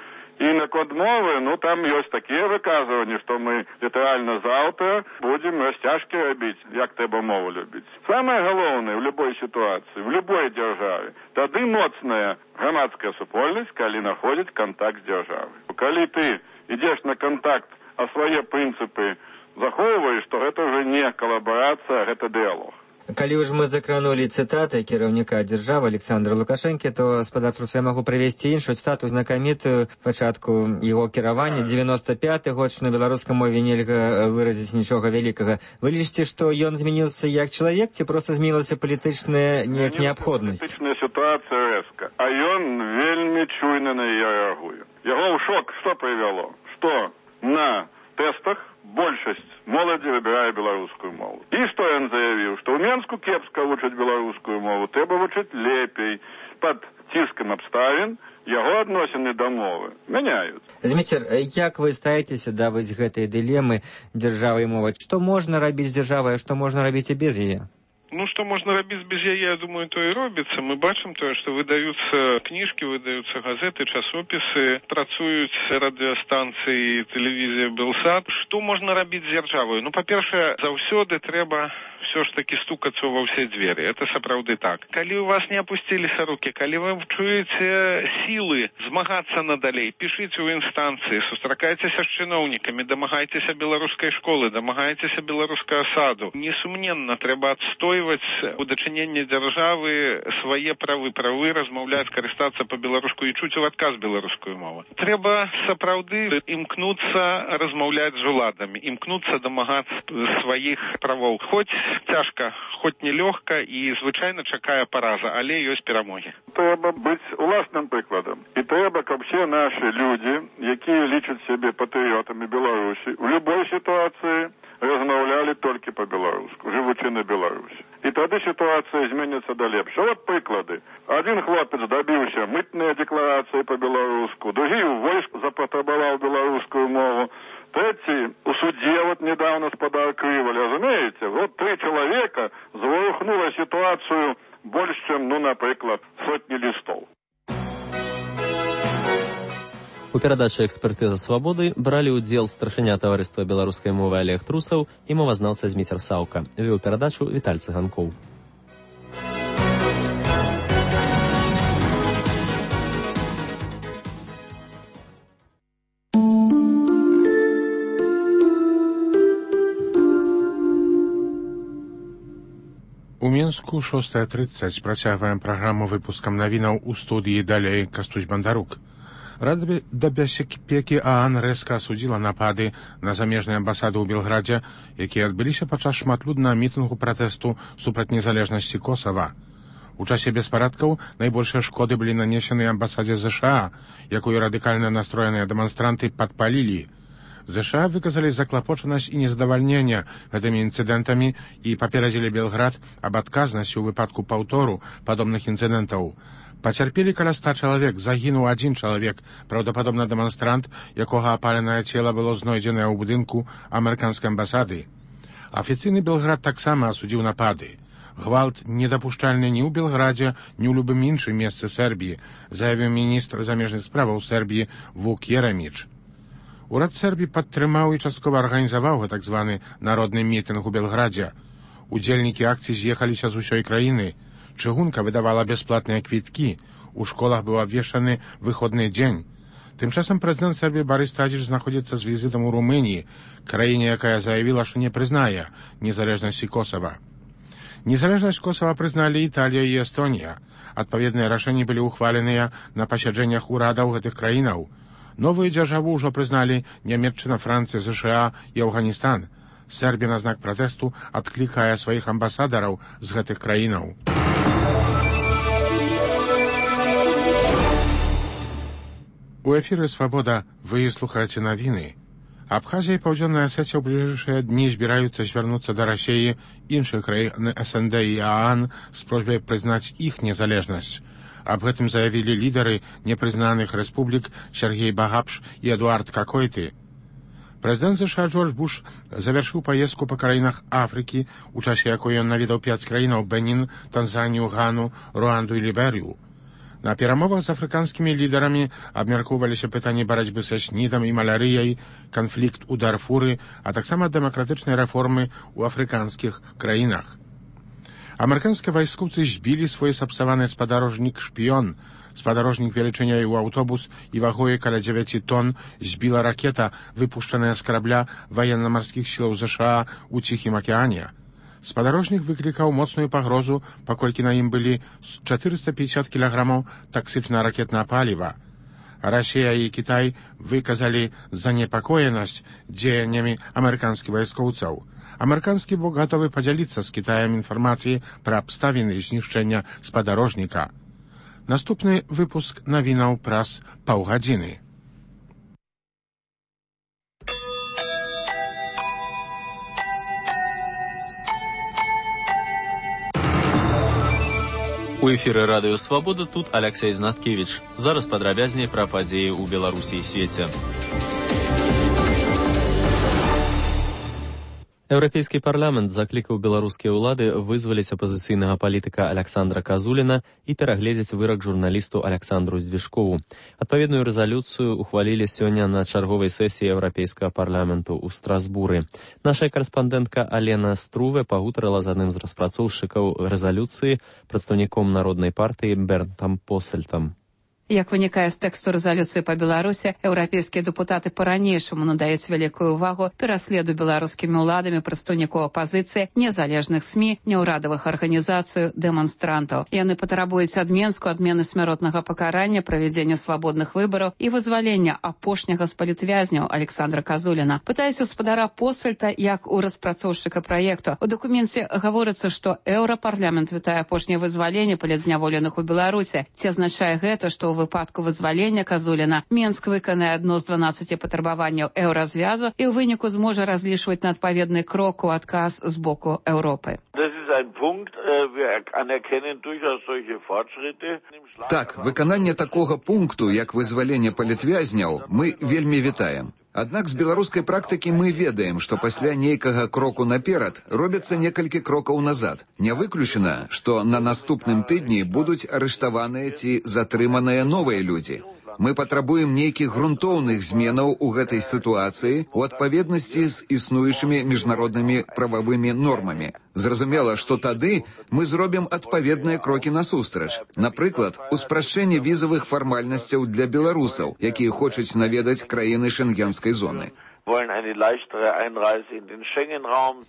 І наконт мовы, там ёсць такія выказванні, што мы літаральна заўтра будзем расцяжкі рабіць, як трэба мову любіць. Самае галоўнае ў любой сітуацыі, в любой дзяржаве, тады моцная грамадская супольнасць, калі находзіць кантакт з дзяржавай. Калі ты ідзеш на кантакт, а свае прынцыпы захоўваеш, то гэта ўжо не калабарацыя, гэта дыялог. Калі ўжо мы закранулі цытаты кіраўніка дзяржавы Александра Лукашэнкі, то, спадар Трусаў, я магу прывесці іншую цытату знакамітую пачатку яго кіравання, 95-й год, што на беларускай мове нельга выразіць нічога вялікага. Вы лічыце, што ён змяніўся як чалавек, ці проста змянілася палітычная неабходнасць? Палітычная сітуацыя рэзка, а ён вельмі чуйна на яе рэагуе. Яго ў шок што прывяло? Што на тэстах большасць моладзі выбірае беларускую мову. І што ён заявіў? Што ў Менску кепска вучаць беларускую мову, трэба вучыць лепей. Пад ціскам абставін яго адносіны да мовы мяняюць. Зміцер, як вы ставіцеся да вось гэтай дылемы дзяржавы і мовы? Што можна рабіць з дзяржавай, а што можна рабіць і без яе? Што можна рабіць без яе, я думаю, то і робіцца. Мы бачым тое, што выдаюцца кніжкі, выдаюцца газеты, часопісы, працуюць радыёстанцыі, тэлевізія Белсат. Што можна рабіць з дзяржавою? Па-першае, заўсёды трэба все ж таки стукацца ва ўсе дзверы. Это сапраўды так. Калі у вас не апусціліся рукі, калі вы чуеце сілы змагацца надалей, пішыце ў інстанцыі, сустракайцеся з чыноўнікамі, дамагайцеся беларускай школы, дамагайцеся беларускага саду. Несумненна, трэба адстойваць адстойваць у дачыненні дзяржавы свае правы размаўляць, карыстацца па-беларуску і чуць у адказ беларускую мову. Трэба сапраўды імкнуцца размаўляць з уладамі, імкнуцца дамагацца сваіх правоў. Хоць цяжка, хоць нелёгка і звычайна чакае параза, але ёсць перамогі. Трэба быць уласным прыкладам. І трэба, каб все нашы людзі, якія лічаць сябе патрыётамі Беларусі, у любой сітуацыі размаўлялі толькі па-беларуску, жывучы на Беларусі. І тады сітуацыя зменіцца да лепшага. Вот прыклады. Адзін хлопец дабіўся мытныя декларацыі па-беларуску, другі ў войск запатрабаваў беларускую мову, третий у суде вот недавно с подокрывали. Разумеете, вот 3 человека заворухнула ситуацию больше, чем, например, сотни листов. У перадачы «Экспертыза свабоды» бралі ўдзел старшыня таварыства беларускай мовы Олег Трусаў і мовазнаўца Зміцер Саўка. Вёў перадачу Віталь Цыганкоў. У Мінску 6:30 працягваем праграму выпускам навінаў у студыі далей Кастусь Бандарук. Рада бяспекі ААН рэзка асудзіла напады на замежныя амбасады ў Белградзе, якія адбыліся падчас шматлюднага мітынгу пратэсту супраць незалежнасці Косава. У часе беспарадкаў найбольшыя шкоды былі нанесены амбасадзе ЗША, якую радыкальна настроеныя дэманстранты падпалілі. ЗША выказалі заклапочанасць і незадавальненне гэтымі інцыдэнтамі і паперадзілі Белград аб адказнасці ў выпадку паўтору падобных інцыдэнтаў. Пацярпелі каля 100 чалавек, загінуў 1 чалавек, праўдападобна дэманстрант, якога апаленае цела было знойдзенае ў будынку амерыканскай амбасады. Афіцыйны Белград таксама асудзіў напады. Гвалт недапушчальны ні ў Белградзе, ні ў любым іншым месцы Сербіі, заявіў міністр замежных справаў Сербіі Вук Ераміч. Урад Сербіі падтрымаў і часткова арганізаваў так званы народны мітынг у Белградзе. Удзельнікі акцыі з'ехаліся з усёй краіны. Чыгунка выдавала бясплатныя квіткі. У школах быў абвешчаны выходны дзень. Тым часам прэзідэнт Сербіі Барыс Тадзіч знаходзіцца з візітам у Румыніі, краіне, якая заявіла, што не прызнае незалежнасці Косава. Незалежнасць Косава прызналі Італія і Эстонія. Адпаведныя рашэнні былі ўхваленыя на пасяджэннях урадаў гэтых краінаў. Новую дзяржаву ўжо прызналі Нямецчына, Францыя, ЗША і Афганістан. Сербія на знак пратэсту адклікае сваіх амбасадараў з гэтых краінаў. У эфіры «Свабода» вы слухаеце навіны. Абхазія і Паўдзённая Асетія ў бліжэйшыя дні збіраюцца звярнуцца да Расіі, іншых краін СНД і ААН з просьбай прызнаць іх незалежнасць. Аб гэтым заявілі лідары непрызнаных рэспублік Сергей Багапш і Эдуард Какойты. Прэзідэнт ЗША Джордж Буш завяршыў паездку па краінах Афрыкі, у часе якой ён наведаў 5 краінаў: Бенін, Танзанію, Гану, Руанду і Ліберыю. На перамовах з афрыканскімі лідарамі абмяркоўваліся пытанні барацьбы са СНІДам і малярыяй, канфлікт у Дарфуры, а таксама дэмакратычнай рэформы ў афрыканскіх краінах. Амерыканскія вайскоўцы збілі свой сапсаваны спадарожнік-шпіён. Спадарожнік велічыняй у аўтобус і вагой каля 9 тонн збіла ракета, выпушчаная з карабля ваенна-марскіх сілаў ЗША ў Ціхім акеане. Спадарожнік выклікаў моцную пагрозу, паколькі на ім былі 450 кілаграмаў таксычна-ракетнага паліва. Расія і Кітай выказалі занепакоенасць дзеяннямі амерыканскіх вайскоўцаў. Амерыканскі бок гатовы падзяліцца з Кітаем інфармацыяй пра абставіны знішчэння спадарожніка. Наступны выпуск навінаў праз паўгадзіны. У эфіры радыё «Свабода» тут Алексей Знаткевич. Зараз падрабязней пра падзеі ў Беларусі і свеце. Еўрапейскі парламент заклікаў беларускія ўлады вызваліць апазіцыйнага палітыка Аляксандра Казуліна і перагледзець вырак журналісту Аляксандру Звішкову. Адпаведную рэзалюцыю ухвалілі сёння на чарговай сесіі Еўрапейскага парламенту ў Страсбуры. Наша карэспандэнтка Алена Струве пагутарыла з адным з распрацоўшчыкаў рэзалюцыі, прадстаўніком Народнай партыі Бернтам Посельтам. Як вынікае з тэксту рэзалюцыі па Беларусі, еўрапейскія дэпутаты па-ранейшаму надаюць вялікую ўвагу пераследу беларускімі ўладамі прадстаўнікоў апазіцыі, незалежных СМІ, няўрадавых арганізацый, дэманстрантаў. Яны патрабуюць ад Менску адмены смяротнага пакарання, правядзення свабодных выбараў і вызвалення апошняга з палітвязняў Александра Казуліна. Пытаюся гаспадара Посальта, як у распрацоўшчыка праекту. У дакуменце гаворыцца, што Еўрапарламент вітае апошняе вызваленне палітзняволеных у Беларусі. Ці азначае гэта, што ў выпадку вызвалення Казуліна Менск выканае адно з 12 патрабаванняў еўразвязу і ў выніку зможа разлічваць на адпаведны крок у адказ з боку Еўропы. Так, выкананне такога пункту, як вызваленне палітвязняў, мы вельмі вітаем. Аднак з беларускай практыкі мы ведаем, што пасля нейкага кроку наперад робяцца некалькі крокаў назад. Не выключана, што на наступным тыдні будуць арыштаваныя ці затрыманыя новыя людзі. Мы патрабуем нейкіх грунтоўных зменаў у гэтай сітуацыі у адпаведнасці з існуючымі міжнароднымі прававымі нормамі. Зразумела, што тады мы зробім адпаведныя крокі насустрач. Напрыклад, у спрашчэнні візавых фармальнасцяў для беларусаў, якія хочуць наведаць краіны шэнгенскай зоны.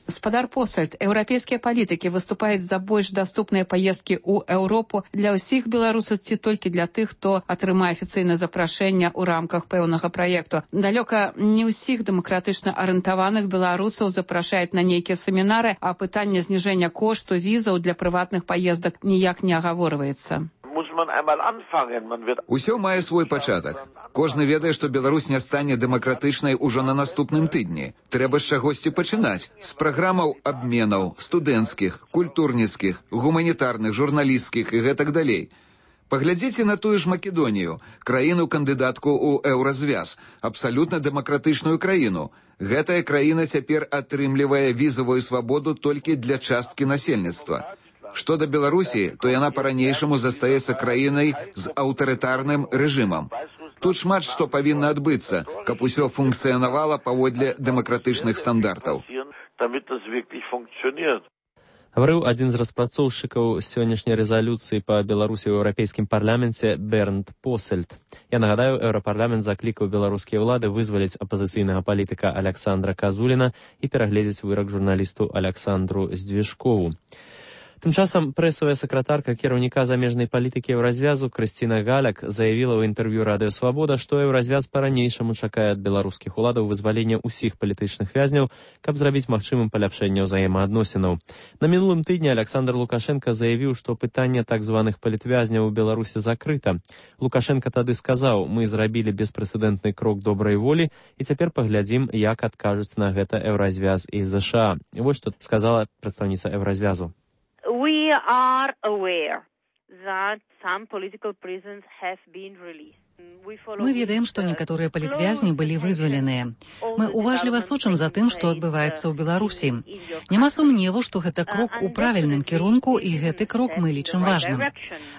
Гаспадар Посальт, еўрапейскія палітыкі выступаюць за больш даступныя паездкі ў Еўропу для ўсіх беларусаў ці толькі для тых, хто атрымае афіцыйнае запрашэнне ў рамках пэўнага праекту. Далёка не ўсіх дэмакратычна арыентаваных беларусаў запрашаюць на нейкія семінары, а пытанне зніжэння кошту візаў для прыватных паездак ніяк не агаворваецца. Усё мае свой пачатак. Кожны ведае, што Беларусь не стане дэмакратычнай ужо на наступным тыдні. Трэба з чагосьці пачынаць. З праграмаў абменаў, студэнцкіх, культурніцкіх, гуманітарных, журналісцкіх і гэтак далей. Паглядзіце на тую ж Македонію, краіну-кандыдатку ў еўразвяз, абсалютна дэмакратычную краіну. Гэтая краіна цяпер атрымлівае візавую свабоду толькі для часткі насельніцтва. Што да Беларусі, то яна па-ранейшаму застаецца краінай з аўтарытарным рэжымам. Тут шмат што павінна адбыцца, каб усё функцыянавала паводле дэмакратычных стандартаў. Гаварыў адзін з распрацоўшчыкаў сённяшняй рэзалюцыі па Беларусі ў еўрапейскім парламенце Бернт Посальт. Я нагадаю, еўрапарламент заклікаў беларускія ўлады вызваліць апазіцыйнага палітыка Александра Казуліна і перагледзець вырак журналісту Александру Здвижкову. Тым часам прэсавая сакратарка кіраўніка замежнай палітыкі еўразвязу Крысціна Галяк заявіла ў інтэрв'ю Радыё Свабода, што еўразвяз па-ранейшаму чакае ад беларускіх уладаў вызвалення ўсіх палітычных вязняў, каб зрабіць магчымым паляпшэнне ўзаемаадносінаў. На мінулым тыдні Александр Лукашенка заявіў, што пытанне так званых палітвязняў у Беларусі закрыта. Лукашенка тады сказаў: «Мы зрабілі беспрэцэдэнтны крок добрай волі і цяпер паглядзім, як адкажуць на гэта еўразвяз і ЗША». Вось што сказала прадстаўніца еўразвязу. We are aware that some political prisons have been released. Мы ведаем, што некаторыя палітвязні былі вызваленыя. Мы уважліва сочым за тым, што адбываецца ў Беларусі. Няма сумневу, што гэта крок у правільным кірунку, і гэты крок мы лічым важным.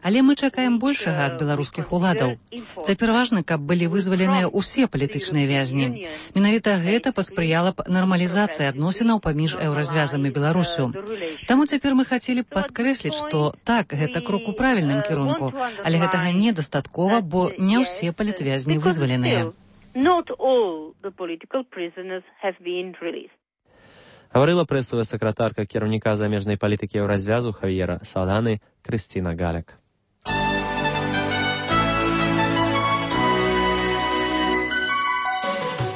Але мы чакаем большага ад беларускіх уладаў. Цяпер важна, каб былі вызваленыя ўсе палітычныя вязні. Менавіта гэта паспрыяла б нармалізацыі адносінаў паміж еўразвязам і Беларусю. Таму цяпер мы хацелі б падкрэсліць, што так, гэта крок у правільным кірунку, але гэтага недастаткова, бо не ўсе палітвязні вызваленыя. Гаварыла прэсавая сакратарка кіраўніка замежнай палітыкі еўразвязу Хавьера Саланы Крысціна Галяк.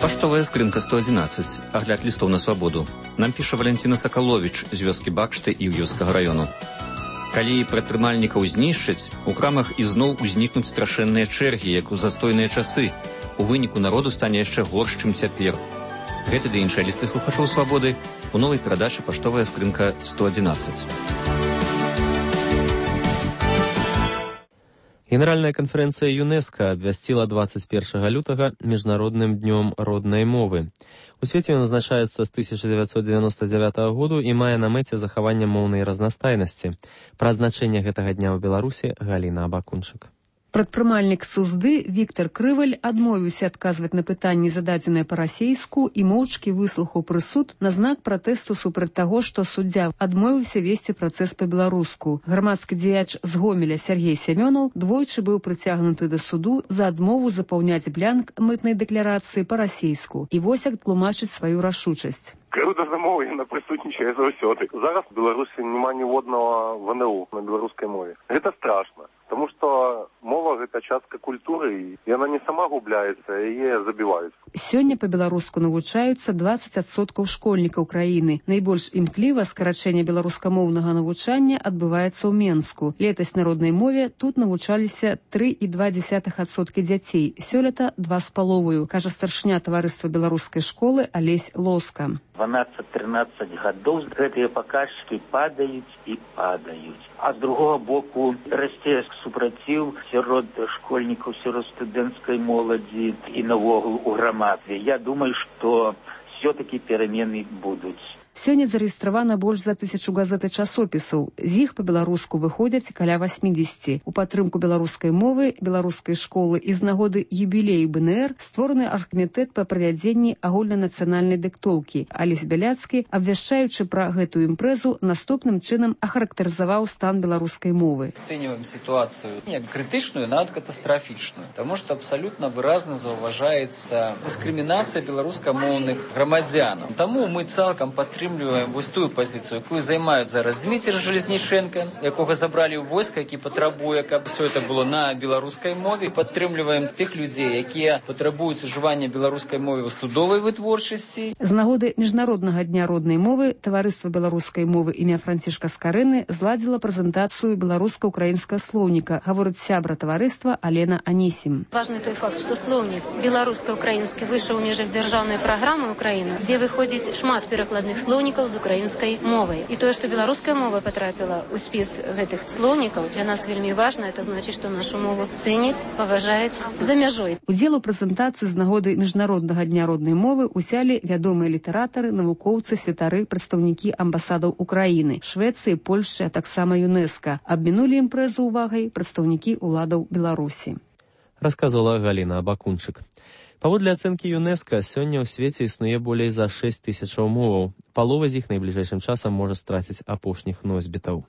Паштовая скрынка 111. Агляд лістоў на свабоду. Нам піша Валянціна Сакаловіч з вёскі Бакшты і Іўёўскага раёну. Калі прадпрымальнікаў знішчаць, у крамах ізноў узнікнуць страшэнныя чэргі, як у застойныя часы. У выніку народу стане яшчэ горш, чым цяпер. Гэты ды іншыя лісты слухачоў свабоды у новай перадачы «Паштовая скрынка 111». Генеральная канферэнцыя ЮНЕСКО абвясціла 21 лютага міжнародным днём роднай мовы. У свеце ён адзначаецца з 1999 году і мае на мэце захаванне моўнай разнастайнасці. Пра значэнне гэтага дня ў Беларусі Галіна Абакунчык. Прадпрымальнік Сузды Віктор Крываль адмовіўся адказваць на пытанні, зададзеныя па-расейску, і моўчкі выслухаў прысуд на знак пратэсту супраць таго, што суддзя адмовіўся весці працэс па-беларуску. Грамадскі дзеяч з Гомеля Сергей Семёнаў двойчы быў прыцягнуты да суду за адмову запаўняць блянк мытнай дэкларацыі па-расейску. І вось як тлумачыць сваю рашучасць. Крыўда за мову, яна прысутнічае заўсёды. Зараз в Беларусі няма ніводнага ВНУ на беларускай мове. Гэта страшна. Тому што мова – гэта частка культуры, і яна не сама губляецца, а яе забіваюць. Сёння па-беларуску навучаюцца 20% школьнікаў краіны. Найбольш імкліва скарачэнне беларускамоўнага навучання адбываецца ў Менску. Летась на роднай мове тут навучаліся 3,2% дзяцей, сёлета 2,5%, кажа старшыня таварыства беларускай школы Алесь Лоска. 12-13 гадоў гэтыя паказчыкі падаюць і падаюць. А з другога боку расце супраціў сярод школьнікаў, сярод студэнцкай моладзі і навогул у грамадстве. Я думаю, што все-таки перамены будуць. Сёння зарэгістравана больш за 1000 газет і часопісаў. З іх па-беларуску выходзяць каля 80. У падтрымку беларускай мовы, беларускай школы і з нагоды юбілею БНР створаны аргкамітэт па правядзенні агульнанацыянальнай дыктоўкі. Алесь Бяляцкі, абвяшчаючы пра гэтую імпрэзу, наступным чынам ахарактарызаваў стан беларускай мовы. Оцениваем ситуацию не критичную, а катастрофичную, потому что абсолютно выразно зауважается дискриминация белорусскомовных громадян. Тому мы цалком подтримуем вось тую пазіцыю, якую займаюць зараз Дмітрий Железнішенко, якога забралі ў войска, які патрабуе, каб все это было на беларускай мове. Падтрымліваем тых людзей, якія патрабуюць ужывання беларускай мовы ў судовай вытворчасці. З нагоды міжнароднага дня роднай мовы таварыства беларускай мовы імя Францішка Скарыны зладзіла прэзентацыю беларуска-украінскага слоўніка, гаворыць сябра таварыства Алена Анісім. Важны той факт, што слоўнік беларуска-украінскі выйшаў у межах дзяржаўнай праграмы Украіны, дзе выходзіць шмат перакладных слоўнікаў з украінскай мовай. І тое, што беларуская мова патрапіла ў спіс гэтых слоўнікаў, для нас вельмі важна. Это значыць, што нашу мову цэняць, паважаюць за мяжой. Удзел у прэзентацыі з нагоды міжнароднага дня роднай мовы ўзялі вядомыя літаратары, навукоўцы, святары, прадстаўнікі амбасадаў Украіны, Швецыі, Польшчы, а таксама ЮНЕСКА. Абмінулі імпрэзу увагай прадстаўнікі ўладаў Беларусі. Расказвала Галіна Абакунчык. Паводле ацэнкі ЮНЕСКА, сёння ў свеце існуе болей за 6000 моваў. Палова з іх найбліжэйшым часам можа страціць апошніх носьбітаў.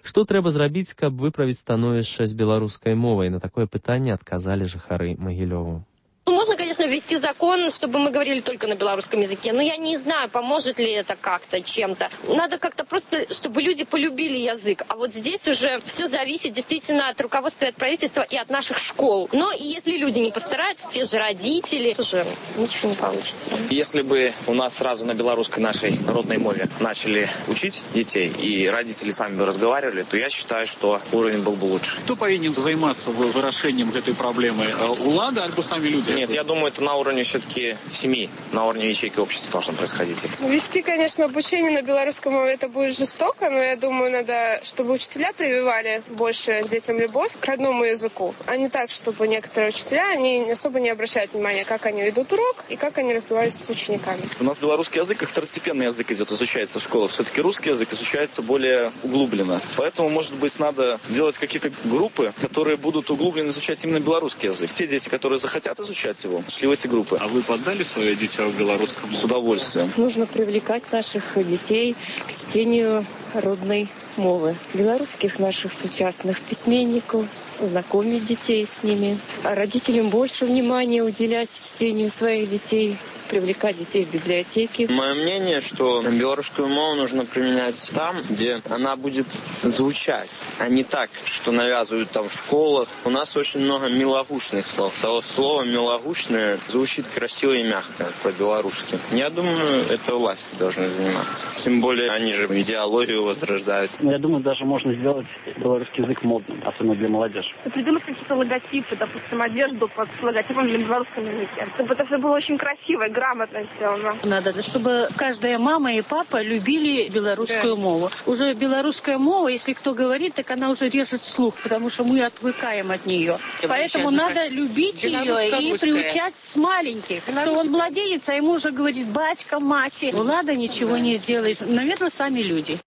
Што трэба зрабіць, каб выправіць становішча з беларускай мовай? На такое пытанне адказалі жыхары Магілёву. Можно, конечно, ввести закон, чтобы мы говорили только на белорусском языке, но я не знаю, поможет ли это как-то чем-то. Надо как-то просто, чтобы люди полюбили язык. А вот здесь уже все зависит действительно от руководства, от правительства и от наших школ. Но и если люди не постараются, те же родители, тоже ничего не получится. Если бы у нас сразу на белорусской нашей родной мове начали учить детей, и родители сами бы разговаривали, то я считаю, что уровень был бы лучше. Кто повинен заниматься вырашением этой проблемы? Улада, альбо сами люди? Нет, я думаю, это на уровне все-таки семьи, на уровне ячейки общества должно происходить. Вести, конечно, обучение на белорусском мове это будет жестоко, но я думаю, надо, чтобы учителя прививали больше детям любовь к родному языку, а не так, чтобы некоторые учителя, они особо не обращают внимания, как они ведут урок и как они разговаривают с учениками. У нас белорусский язык как второстепенный язык идет, изучается в школах. Все-таки русский язык изучается более углубленно. Поэтому, может быть, надо делать какие-то группы, которые будут углубленно изучать именно белорусский язык. Те дети, которые захотят изучать его, шли в эти группы. А вы поддали свое дитя в белорусском? С удовольствием. Нужно привлекать наших детей к чтению родной мовы. Белорусских наших сучасных письменников, знакомить детей с ними. А родителям больше внимания уделять чтению своих детей, привлекать детей в библиотеки. Мое мнение, что белорусскую мову нужно применять там, где она будет звучать, а не так, что навязывают там в школах. У нас очень много милогучных слов. Слово «милогучное» звучит красиво и мягко по-белорусски. Я думаю, это власти должны заниматься. Тем более, они же идеологию возрождают. Я думаю, даже можно сделать белорусский язык модным, особенно для молодежи. Придумать какие-то логотипы, допустим, одежду под логотипом для белорусского языка. Чтобы это все было очень красиво, грамотно сделано. Надо, чтобы каждая мама и папа любили белорусскую мову. Уже белорусская мова, если кто говорит, так она уже режет слух, потому что мы отвыкаем от нее. Поэтому надо любить ее и приучать с маленьких. Что он младенец, а ему уже говорит батька, мать. Влада ничего не сделает. Наверное, сами люди.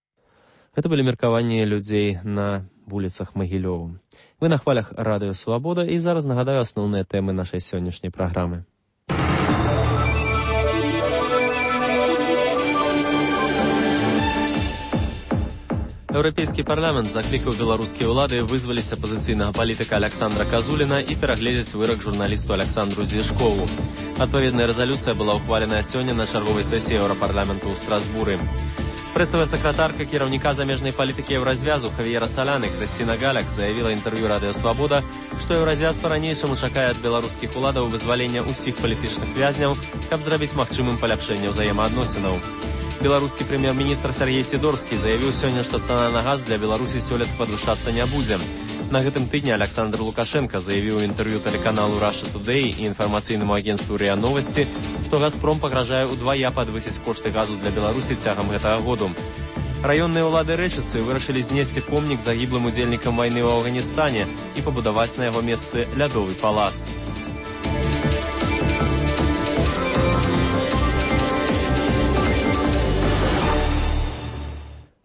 Это были меркаванні людзей на вуліцах Магілёву. Вы на хвалях радыё Свабода, і зараз нагадаю асноўныя тэмы нашай сённяшняй праграмы. Еўрапейскі парламент заклікаў беларускія ўлады вызваліць апазіцыйнага палітыка Александра Казуліна і перагледзець вырак журналісту Александру Зішкову. Адпаведная рэзалюцыя была ўхвалена сёння на чарговай сесіі Еўрапарламенту ў Страсбуры. Прэсавая сакратарка кіраўніка замежнай палітыкі Еўразвязу Хавіера Саляны Крысціна Галяк заявіла інтэрв'ю радыё Свабода, што Еўразвяз па-ранейшаму чакае ад беларускіх уладаў вызвалення ўсіх палітычных вязняў, каб зрабіць магчымым паляпшэнне ўзаемаадносінаў. Беларускі прэм'ер-міністр Сергей Сідорскі заявіў сёння, што цана на газ для Беларусі сёлета падвышацца не будзе. На гэтым тыдні Александр Лукашенко заявіў у інтэрв'ю тэлеканалу Russia Today і інфармацыйнаму агенцтву РИА Новости, што Газпром пагражае ўдвая падвысіць кошты газу для Беларусі цягам гэтага году. Раённыя ўлады Рэчыцы вырашылі знесці помнік загіблым удзельнікам вайны ў Афганістане і пабудаваць на яго месцы лядовы палац.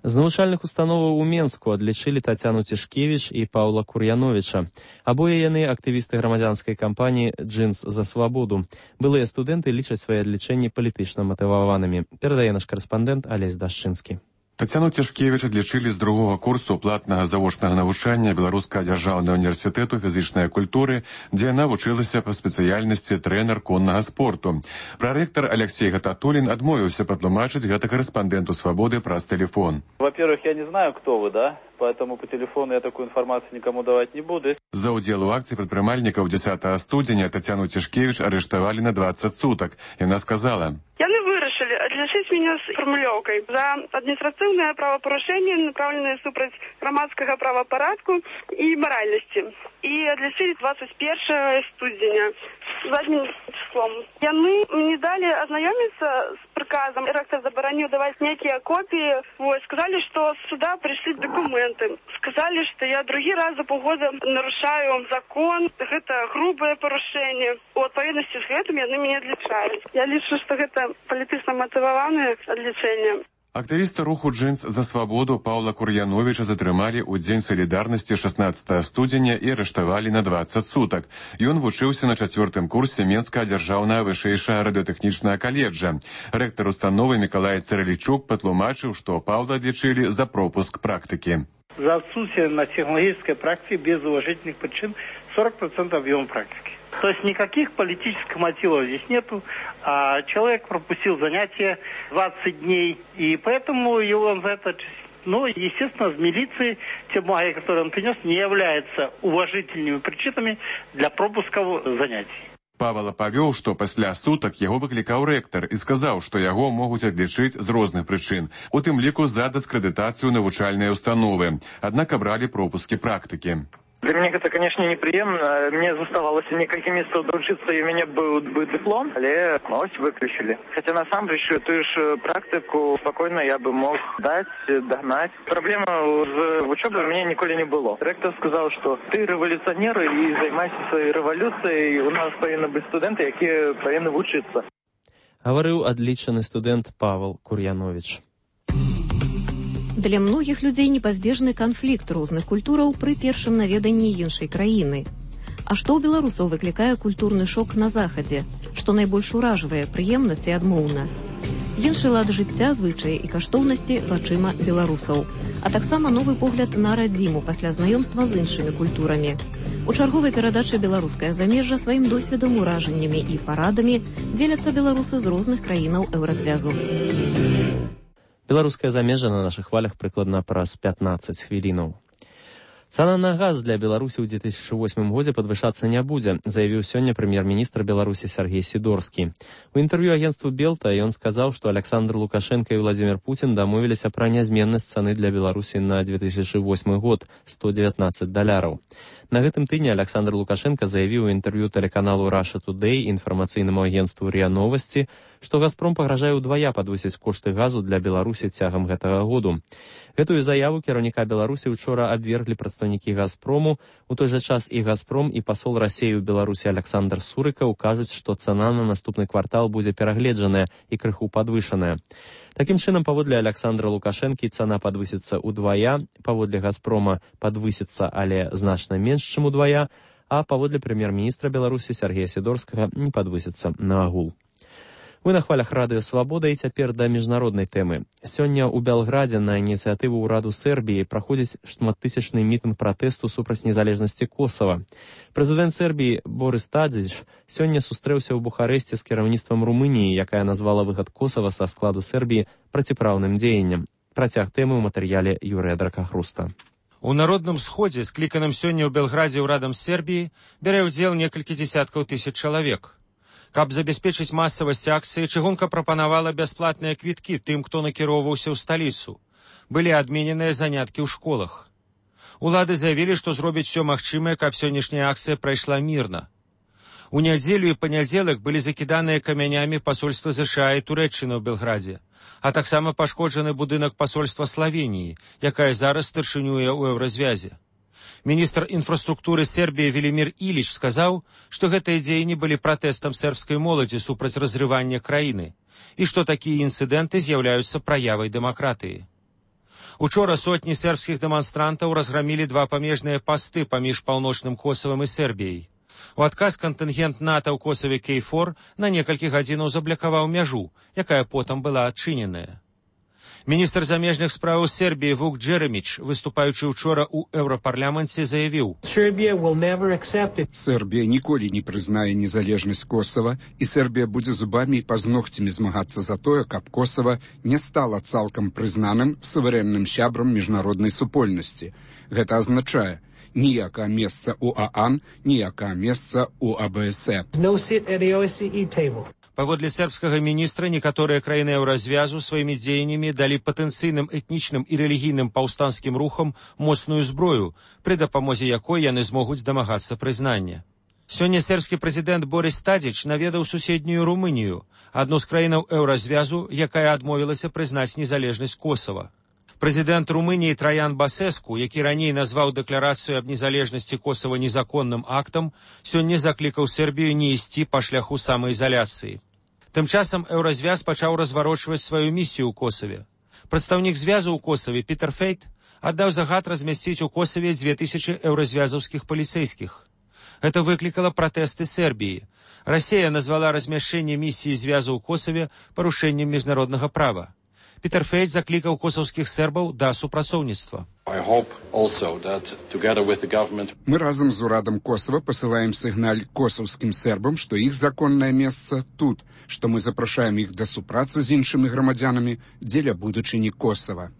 З навучальных установаў у Менску адлічылі Тацяну Цішкевіч і Паўла Кур'яновіча. Абое яны актывісты грамадзянскай кампаніі «Джинс за свабоду». Былыя студэнты лічаць свае адлічэнні палітычна матываванымі. Перадае наш карэспандэнт Алесь Дашчынскі. Тацяну Цішкевіч адлічылі з другога курсу платнага завочнага навучання Беларускага дзяржаўнага універсітэту фізічнай культуры, дзе яна вучылася па спецыяльнасці трэнер коннага спорту. Прарэктар Алексей Гататулін адмовіўся патлумачыць гэта карэспандэнту «Свабоды» праз телефон. Во-первых, я не знаю, кто вы, да? Поэтому по телефону я такую информацию никому давать не буду. За удзел у акцыі прадпрымальнікаў 10 студзеня Тацяну Цішкевіч арыштавалі на 20 сутак. Яна сказала: Яны вырашылі адлічыць мяне з фармулёўкай за адміністрацыйнае правапарушэнне, направленае супраць грамадскага правапарадку і маральнасці. І адлічылі 21 студзеня заднім числом. Яны мне далі азнаёміцца з прыказам. Рэктар забараніў даваць нейкія копіі. Сказалі, што з суда прыйшлі дакументы. Сказалі, што я другі раз за паўгода нарушаю закон. Гэта грубае парушэнне. У адпаведнасці з гэтым яны мяне адлічаюць. Я лічу, што гэта палітычна матываванае адлічэнне. Актывіста руху «Джинс за свабоду» Паўла Кур'яновіча затрымалі ў дзень салідарнасці 16 студзеня і арыштавалі на 20 сутак. Ён вучыўся на 4-м курсе Менскага дзяржаўнага вышэйшага радыётэхнічнага каледжа. Рэктар установы Мікалай Царалічук патлумачыў, што Паўла адлічылі за пропуск практыкі. За отсутствие на технологической практике без уважительных причин 40% объема практики. То есть никаких политических мотивов здесь нету. А человек пропустил занятия 20 дней, и поэтому его за это... Ну, естественно, в милиции те бумаги, которые он принес, не являются уважительными причинами для пропуска занятий. Павел павёў, што пасля сутак яго выклікаў рэктар і сказаў, што яго могуць адлічыць з розных прычын, у тым ліку за дыскрэдытацыю навучальнай установы. Аднак абралі пропускі практыкі. Для меня это, конечно, неприемно. Мне заставалось некалькі месяцаў доучыцца, і у мяне быў бы диплом, але ось выключили. Хотя насамрэч тую ж практыку спокойно я бы мог даць, дагнаць. Проблема з вучобай у меня ніколі не было. Рэктар сказаў, што ты рэвалюцыянер і займайся сваёй рэвалюцыяй. У нас павінны быць студэнты, якія павінны вучыцца. Гаварыў адлічаны студэнт Павел Кур'яновіч. Для многіх людзей непазбежны канфлікт розных культураў пры першым наведанні іншай краіны. А што ў беларусаў выклікае культурны шок на захадзе? Што найбольш уражвае прыемнасць і адмоўна? Іншы лад жыцця, звычаі і каштоўнасці вачыма беларусаў. А таксама новы погляд на радзіму пасля знаёмства з іншымі культурамі. У чарговай перадачы «Беларускае замежжа» сваім досведам, уражаннямі і парадамі дзеляцца беларусы з розных краінаў Еўразвязу. Беларускае замежжа на нашых хвалях прыкладна праз 15 хвілінаў. Цана на газ для Беларусі ў 2008 годзе падвышацца не будзе, заявіў сёння прэм'ер-міністр Беларусі Сергей Сідорскі. У інтэрв'ю агенцтву Белта ён сказаў, што Александр Лукашенко і Владимир Путин дамовіліся пра нязменнасць цаны для Беларусі на 2008 год $119. На гэтым тыдні Александр Лукашенко заявіў у інтэрв'ю тэлеканалу Russia Today інфармацыйнаму агенцтву РИА Новости, што Газпром пагражае ўдвая падвысіць кошты газу для Беларусі цягам гэтага году. Гэтую заяву кіраўніка Беларусі учора абверглі прадстаўнікі прадстаўнікі «Газпрому». У той жа час і «Газпром», і пасол Расіі ў Беларусі Александр Сурыкаў кажуць, што цана на наступны квартал будзе перагледжаная і крыху падвышаная. Такім чынам, паводле Александра Лукашэнкі, цана падвысіцца ўдвая, паводле «Газпрома» падвысіцца, але значна менш, чым удвая, а паводле прэм'ер-міністра Беларусі Сергея Сідорскага не падвысіцца наагул. Вы на хвалях радыё «Свабода» і цяпер да міжнароднай тэмы. Сёння ў Белградзе на ініцыятыву ўраду Сербіі праходзіць шматтысячны мітынг пратэсту супраць незалежнасці Косава. Прэзідэнт Сербіі Борис Тадзіч сёння сустрэўся ў Бухарэсце з кіраўніцтвам Румыніі, якая назвала выхад Косава са складу Сербіі проціпраўным дзеяннем. Працяг тэмы ў матэрыяле Юрыя Дракахруста. У народным сходзе, скліканым сёння ў Белградзе ўрадам Сербіі, бярэ ўдзел некалькі дзесяткаў тысяч чалавек. Каб забяспечыць масавасць акцыі, чыгунка прапанавала бясплатныя квіткі тым, хто накіроўваўся ў сталіцу. Былі адмененыя заняткі ў школах. Улады заявілі, што зробяць усё магчымае, каб сённяшняя акцыя прайшла мірна. У нядзелю і панядзелак былі закіданыя камянямі пасольства ЗША і Турэччыны ў Белградзе, а таксама пашкоджаны будынак пасольства Славеніі, якая зараз старшынюе ў еўразвязе. Міністр інфраструктуры Сербіі Велімір Іліч сказаў, што гэтыя дзеянні былі пратэстам сербскай моладзі супраць разрывання краіны і што такія інцыдэнты з'яўляюцца праявай дэмакратыі. Учора сотні сербскіх дэманстрантаў разграмілі два памежныя пасты паміж паўночным Косавам і Сербіяй. У адказ кантынгент НАТО ў Косаве Кейфор на некалькі гадзінаў заблакаваў мяжу, якая потым была адчыненая. Міністр замежных спраў Сербіі Вук Джереміч, выступаючы учора ў Еўрапарламенце, заявіў: Сербія ніколі не прызнае незалежнасць Косава, і Сербія будзе зубамі і пазногцямі змагацца за тое, каб Косава не стала цалкам прызнаным суверэнным сябрам міжнароднай супольнасці. Гэта азначае ніякае месца ў ААН, ніякае месца ў АБСЕ. Паводле сербскага міністра, некаторыя краіны еўразвязу сваімі дзеяннямі далі патэнцыйным этнічным і рэлігійным паўстанцкім рухам моцную зброю, пры дапамозе якой яны змогуць дамагацца прызнання. Сёння сербскі прэзідэнт Борис Тадзіч наведаў суседнюю Румынію, адну з краінаў еўразвязу, якая адмовілася прызнаць незалежнасць Косава. Прэзідэнт Румыніі Траян Басэску, які раней назваў дэкларацыю аб незалежнасці Косава незаконным актам, сёння заклікаў Сербію не ісці па шляху самаізаляцыі. Тым часам еўразвяз пачаў разварочваць сваю місію ў Косаве. Прадстаўнік звязу ў Косаве Пітер Фейт аддаў загад размясціць у Косаве 2000 еўразвязаўскіх паліцэйскіх. Гэта выклікала пратэсты Сербіі. Расія назвала размяшчэнне місіі звязу ў Косаве парушэннем міжнароднага права. Пітер Фейт заклікаў косаўскіх сербаў да супрацоўніцтва. Мы разам з урадам Косава пасылаем сігналь косаўскім сербам, што іх законнае месца тут, што мы запрашаем іх да супрацы з іншымі грамадзянамі дзеля будучыні Косава.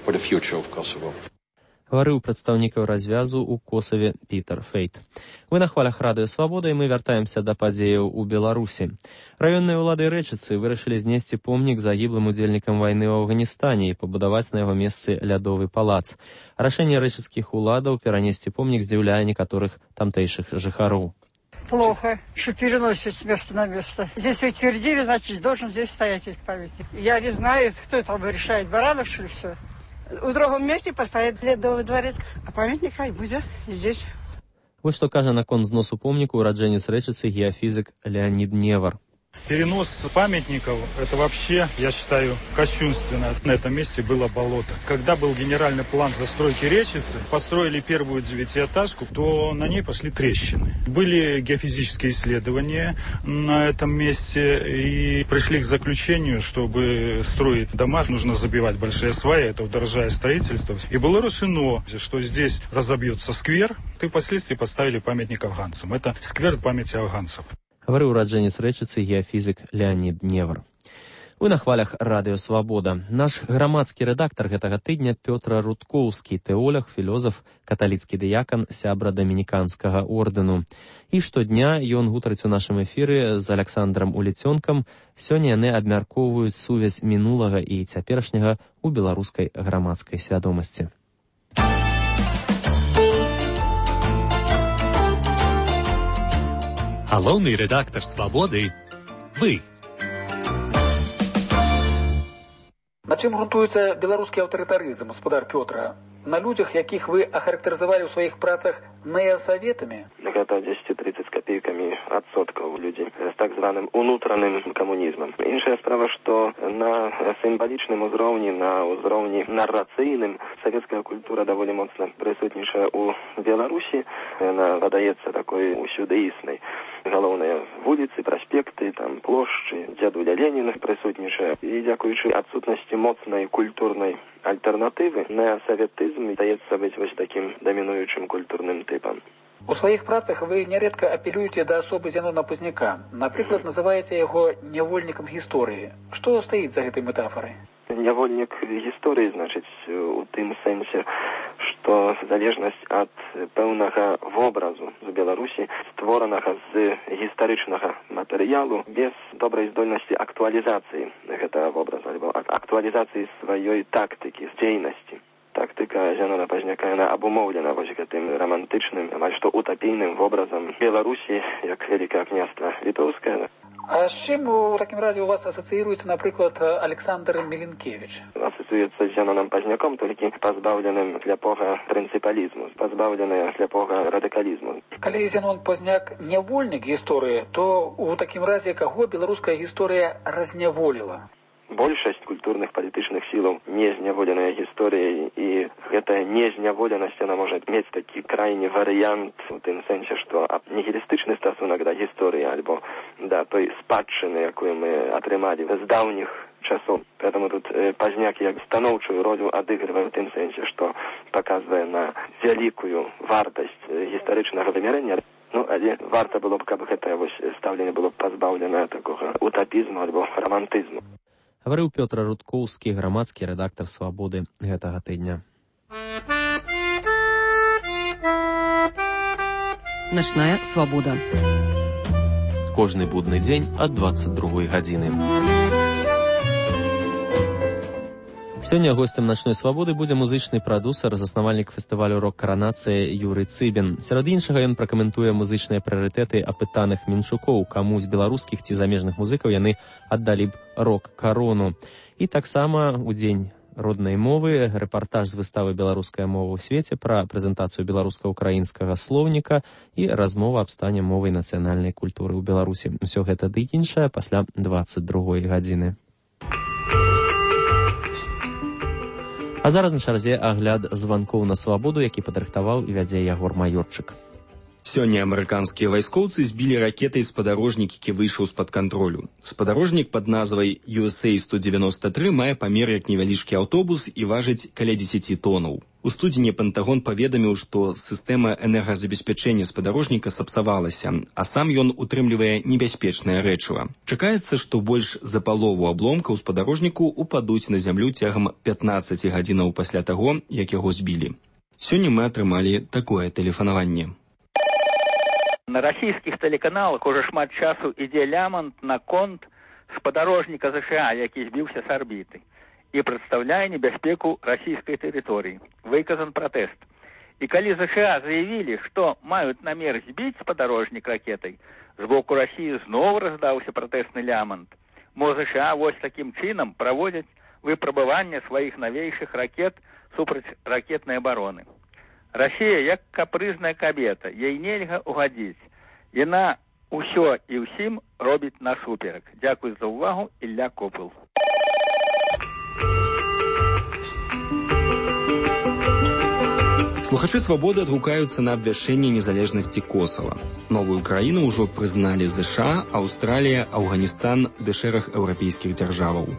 Гаварыў прадстаўнікаў развязу ў Косаве Пітер Фейт. Вы на хвалях радыё «Свабода» і мы вяртаемся да падзеяў у Беларусі. Раённыя ўлады Рэчыцы вырашылі знесці помнік загіблым удзельнікам вайны ў Афганістане і пабудаваць на яго месцы лядовы палац. Рашэнне рэчыцкіх уладаў перанесці помнік здзіўляе некаторых тамтэйшых жыхароў. Плохо, что переносят с места на место. Здесь утвердили, значит, должен здесь стоять их памятник. Я не знаю, кто там решает, Баранов, что ли, все. У другом месте поставить ледовый дворец, а памятник хай будет здесь. Вот что кажа наконт зносу помніку ураджэнец Рэчыцы геофизик Леонид Невар. Перенос памятников, это вообще, я считаю, кощунственно. На этом месте было болото. Когда был генеральный план застройки Речицы, построили первую 9-этажку, то на ней пошли трещины. Были геофизические исследования на этом месте и пришли к заключению, чтобы строить дома, нужно забивать большие сваи, это удорожает строительство. И было решено, что здесь разобьется сквер, и впоследствии поставили памятник афганцам. Это сквер памяти афганцев. Гаварыў ураджэнец Рэчыцы геофізік Леонид Невар. Вы на хвалях радыё «Свабода». Наш грамадскі рэдактар гэтага тыдня Пётр Рудкоўскі, тэолог, філозаф, каталіцкі дыякан, сябра дамініканскага ордэну. І штодня ён гутарыць у нашым эфіры з Александрам Уліцёнкам. Сёння яны абмяркоўваюць сувязь мінулага і цяперашняга ў беларускай грамадскай свядомасці. Галоўны рэдактар «Свабоды» – вы. На чым грунтуецца беларускі аўтарытарызм, гаспадар Пётра? на людзях, якіх вы ахарактарызавалі ў сваіх працах неасаветамі? Гэта 10-30 з копейкамі адсоткаў людзей з так званым унутраным камунізмам. Іншая справа, што на сімвалічным узроўні, на ўзроўні нарацыйным савецкая культура даволі моцна прысутнічае ў Беларусі. Яна выдаецца такой усюдыіснай. Галоўныя вуліцы, праспекты, там плошчы, дзядуля Леніна прысутнічае. І дзякуючы адсутнасці моцнай культурнай альтэрнатывы, неасаветызм здаецца быць вось такім дамінуючым культурным тыпам. У сваіх працах вы нярэдка апелюеце да асобы Зянона Пазняка. Напрыклад, называеце яго нявольнікам гісторыі. Што стаіць за гэтай метафорай? Нявольнік гісторыі, значыць, у тым сэнсе, што залежнасць ад пэўнага вобразу з Беларусі, створанага з гістарычнага матэрыялу, без добрай здольнасці актуалізацыі гэтага вобраза, альбо актуалізацыі сваёй тактыкі, дзейнасці. Тактыка Зянона Пазняка, яна абумоўлена вось гэтым рамантычным, амаль што утапійным вобразам Беларусі, як вялікае княства літоўскае. А з чым у такім разе у вас асацыіруецца, напрыклад, Александр Міленкевіч? Асацыюецца з Зяноном Пазняком, толькі пазбаўленым сляпога прынцыпалізму, пазбаўленым сляпога радыкалізму. Калі Зянон Пазняк нявольнік гісторыі, то у такім разе каго беларуская гісторыя разняволіла? Большасць культурных палітычных сілаў не зняволеная гісторыяй, і гэтая незняволенасць, яна можа мець такі крайні варыянт у тым сэнсе, што нігілістычны стасунак да гісторыі альбо да той спадчыны, якую мы атрымалі з даўніх часоў. Поэтому тут Пазняк як станоўчую ролю адыгрывае ў тым сэнсе, што паказвае на вялікую вартасць гістарычнага вымярэння. Ну, але варта было б, каб гэтае стаўленне было пазбаўлена такога утапізму альбо рамантызму. Гаварыў Пётр Рудкоўскі, грамадскі рэдактар «Свабоды» гэтага тыдня. Начная свабода. Кожны будны дзень ад 22 гадзіны. Сёння госцем «Начной свабоды» будзе музычны прадусер, заснавальнік фестывалю «Рок-каранацыя» Юрый Цыбін. Сярод іншага ён пракаментуе музычныя прыярытэты апытаных мінчукоў, каму з беларускіх ці замежных музыкаў яны аддалі б рок-карону. І таксама ў дзень роднай мовы рэпартаж з выставы «Беларуская мова ў свеце» пра прэзентацыю беларуска-украінскага слоўніка і размова аб стане мовы нацыянальнай культуры ў Беларусі. Усё гэта ды іншае пасля 22 гадзіны. А зараз на чарзе агляд званкоў на свабоду, які падрыхтаваў і вядзе Ягор Маёрчык. Сёння амерыканскія вайскоўцы збілі ракетай спадарожнік, які выйшаў з-пад кантролю. Спадарожнік пад назвай USA-193 мае памер як невялічкі аўтобус і важыць каля 10 тонаў. У студзені Пентагон паведаміў, што сістэма энергазабеспячэння спадарожніка сапсавалася, а сам ён утрымлівае небяспечнае рэчыва. Чакаецца, што больш за палову абломкаў спадарожніку упадуць на зямлю цягам 15 гадзінаў пасля таго, як яго збілі. Сёння мы атрымалі такое тэлефанаванне. На расійскіх тэлеканалах уже шмат часу ідзе лямант на конт спадарожніка ЗША, які збіўся з арбіты і прадстаўляе небяспеку расійскай тэрыторыі. Выказан пратэст. І калі ЗША заявілі, што маюць намер збіць спадарожнік ракетай, з боку Расіі зноў раздаўся пратэсны лямант. Мо ЗША вось такім чынам праводзяць выпрабаванне сваіх навейшых ракет супраць ракетнай абароны. Расія як капрызная кабета, ей нельга угадзіць. Яна ўсё і ўсім робіць насуперак. Дзякуй за ўвагу, Ілля Копыл. Слухачы «Свабоды» адгукаюцца на абвяшчэнне незалежнасці Косава. Новую краіну ўжо прызналі ЗША, Аўстралія, Афганістан ды шэраг еўрапейскіх дзяржаваў.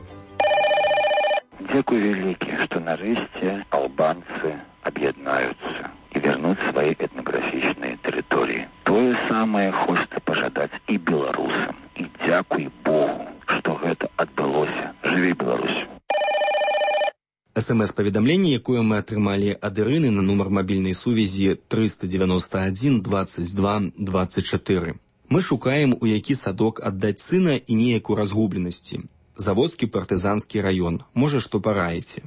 Дзякуй вялікі, што нарэшце албанцы аб'яднаюцца і вярнуць свае этнаграфічныя тэрыторыі. Тое самае хочацца пажадаць і беларусам. І дзякуй Богу, што гэта адбылося. Жыві Беларусь! СМС-паведамленне, якое мы атрымалі ад Ірыны на нумар мабільнай сувязі 391 22 24. Мы шукаем, у які садок аддаць сына і неяк у разгубленасці. Заводскі партызанскі раён. Можа, што параіце.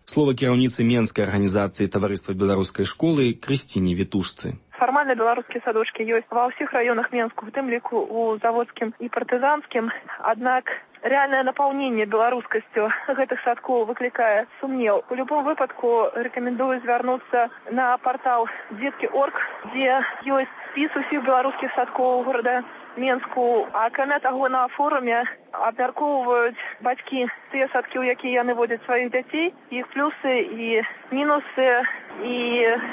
Слова кіраўніцы Менскай арганізацыі таварыства беларускай школы Крысціне Вітушцы. Фармальна беларускія садочкі ёсць ва ўсіх раёнах Менску, у тым ліку у заводскім і партызанскім. Аднак реальное напаўненне беларускасцю гэтых садкоў выклікае сумнеў. У любом выпадку рэкамендую звярнуцца на партал Дзеткі.орг, дзе ёсць спіс усіх беларускіх садкоў горада Менску. А акрамя таго, на форуме абмяркоўваюць бацькі тыя садкі, у якія яны водзяць сваіх дзяцей, іх плюсы і мінусы, і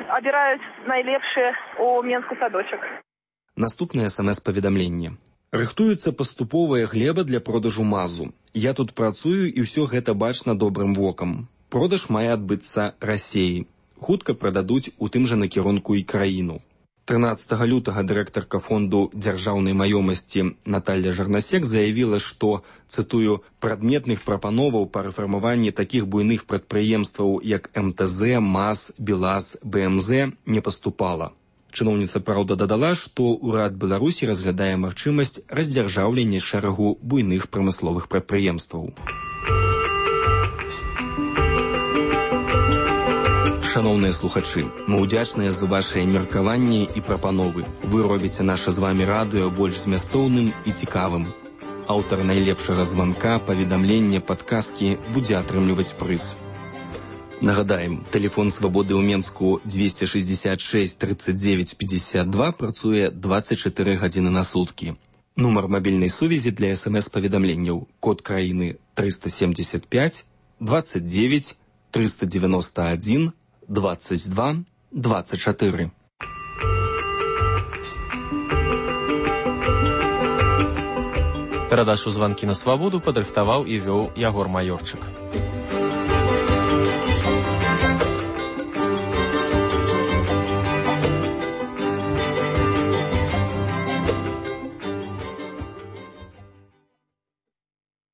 абіраюць найлепшыя у Менску садочак. Наступнае СМС-паведамленне. Рыхтуецца паступовая глеба для продажу мазу. Я тут працую, і ўсё гэта бачна добрым вокам. Продаж мае адбыцца Расеі. Хутка прададуць у тым жа накірунку і краіну. 13 лютага дырэктарка фонду дзяржаўнай маёмасці Наталья Жарнасек заявіла, што, цытую, «прадметных прапановаў па рэфармаванні такіх буйных прадпрыемстваў, як МТЗ, МАЗ, БелАЗ, БМЗ, не паступала». Чыноўніца, праўда, дадала, што ўрад Беларусі разглядае магчымасць раздзяржаўлення шэрагу буйных прамысловых прадпрыемстваў. Шановныя слухачы, мы ўдзячныя за вашыя меркаванні і прапановы. Вы робіце наша з вамі радыё больш змястоўным і цікавым. Аўтар найлепшага званка, паведамлення, падказкі будзе атрымліваць прыз. Нагадаем, тэлефон свабоды ў Менску 266 39 52 працуе 24 гадзіны на суткі. Нумар мабільнай сувязі для СМС-паведамленняў, код краіны 375 29 391 22 24. Перадачу «Званкі на свабоду» падрыхтаваў і вёў Ягор Маёрчык.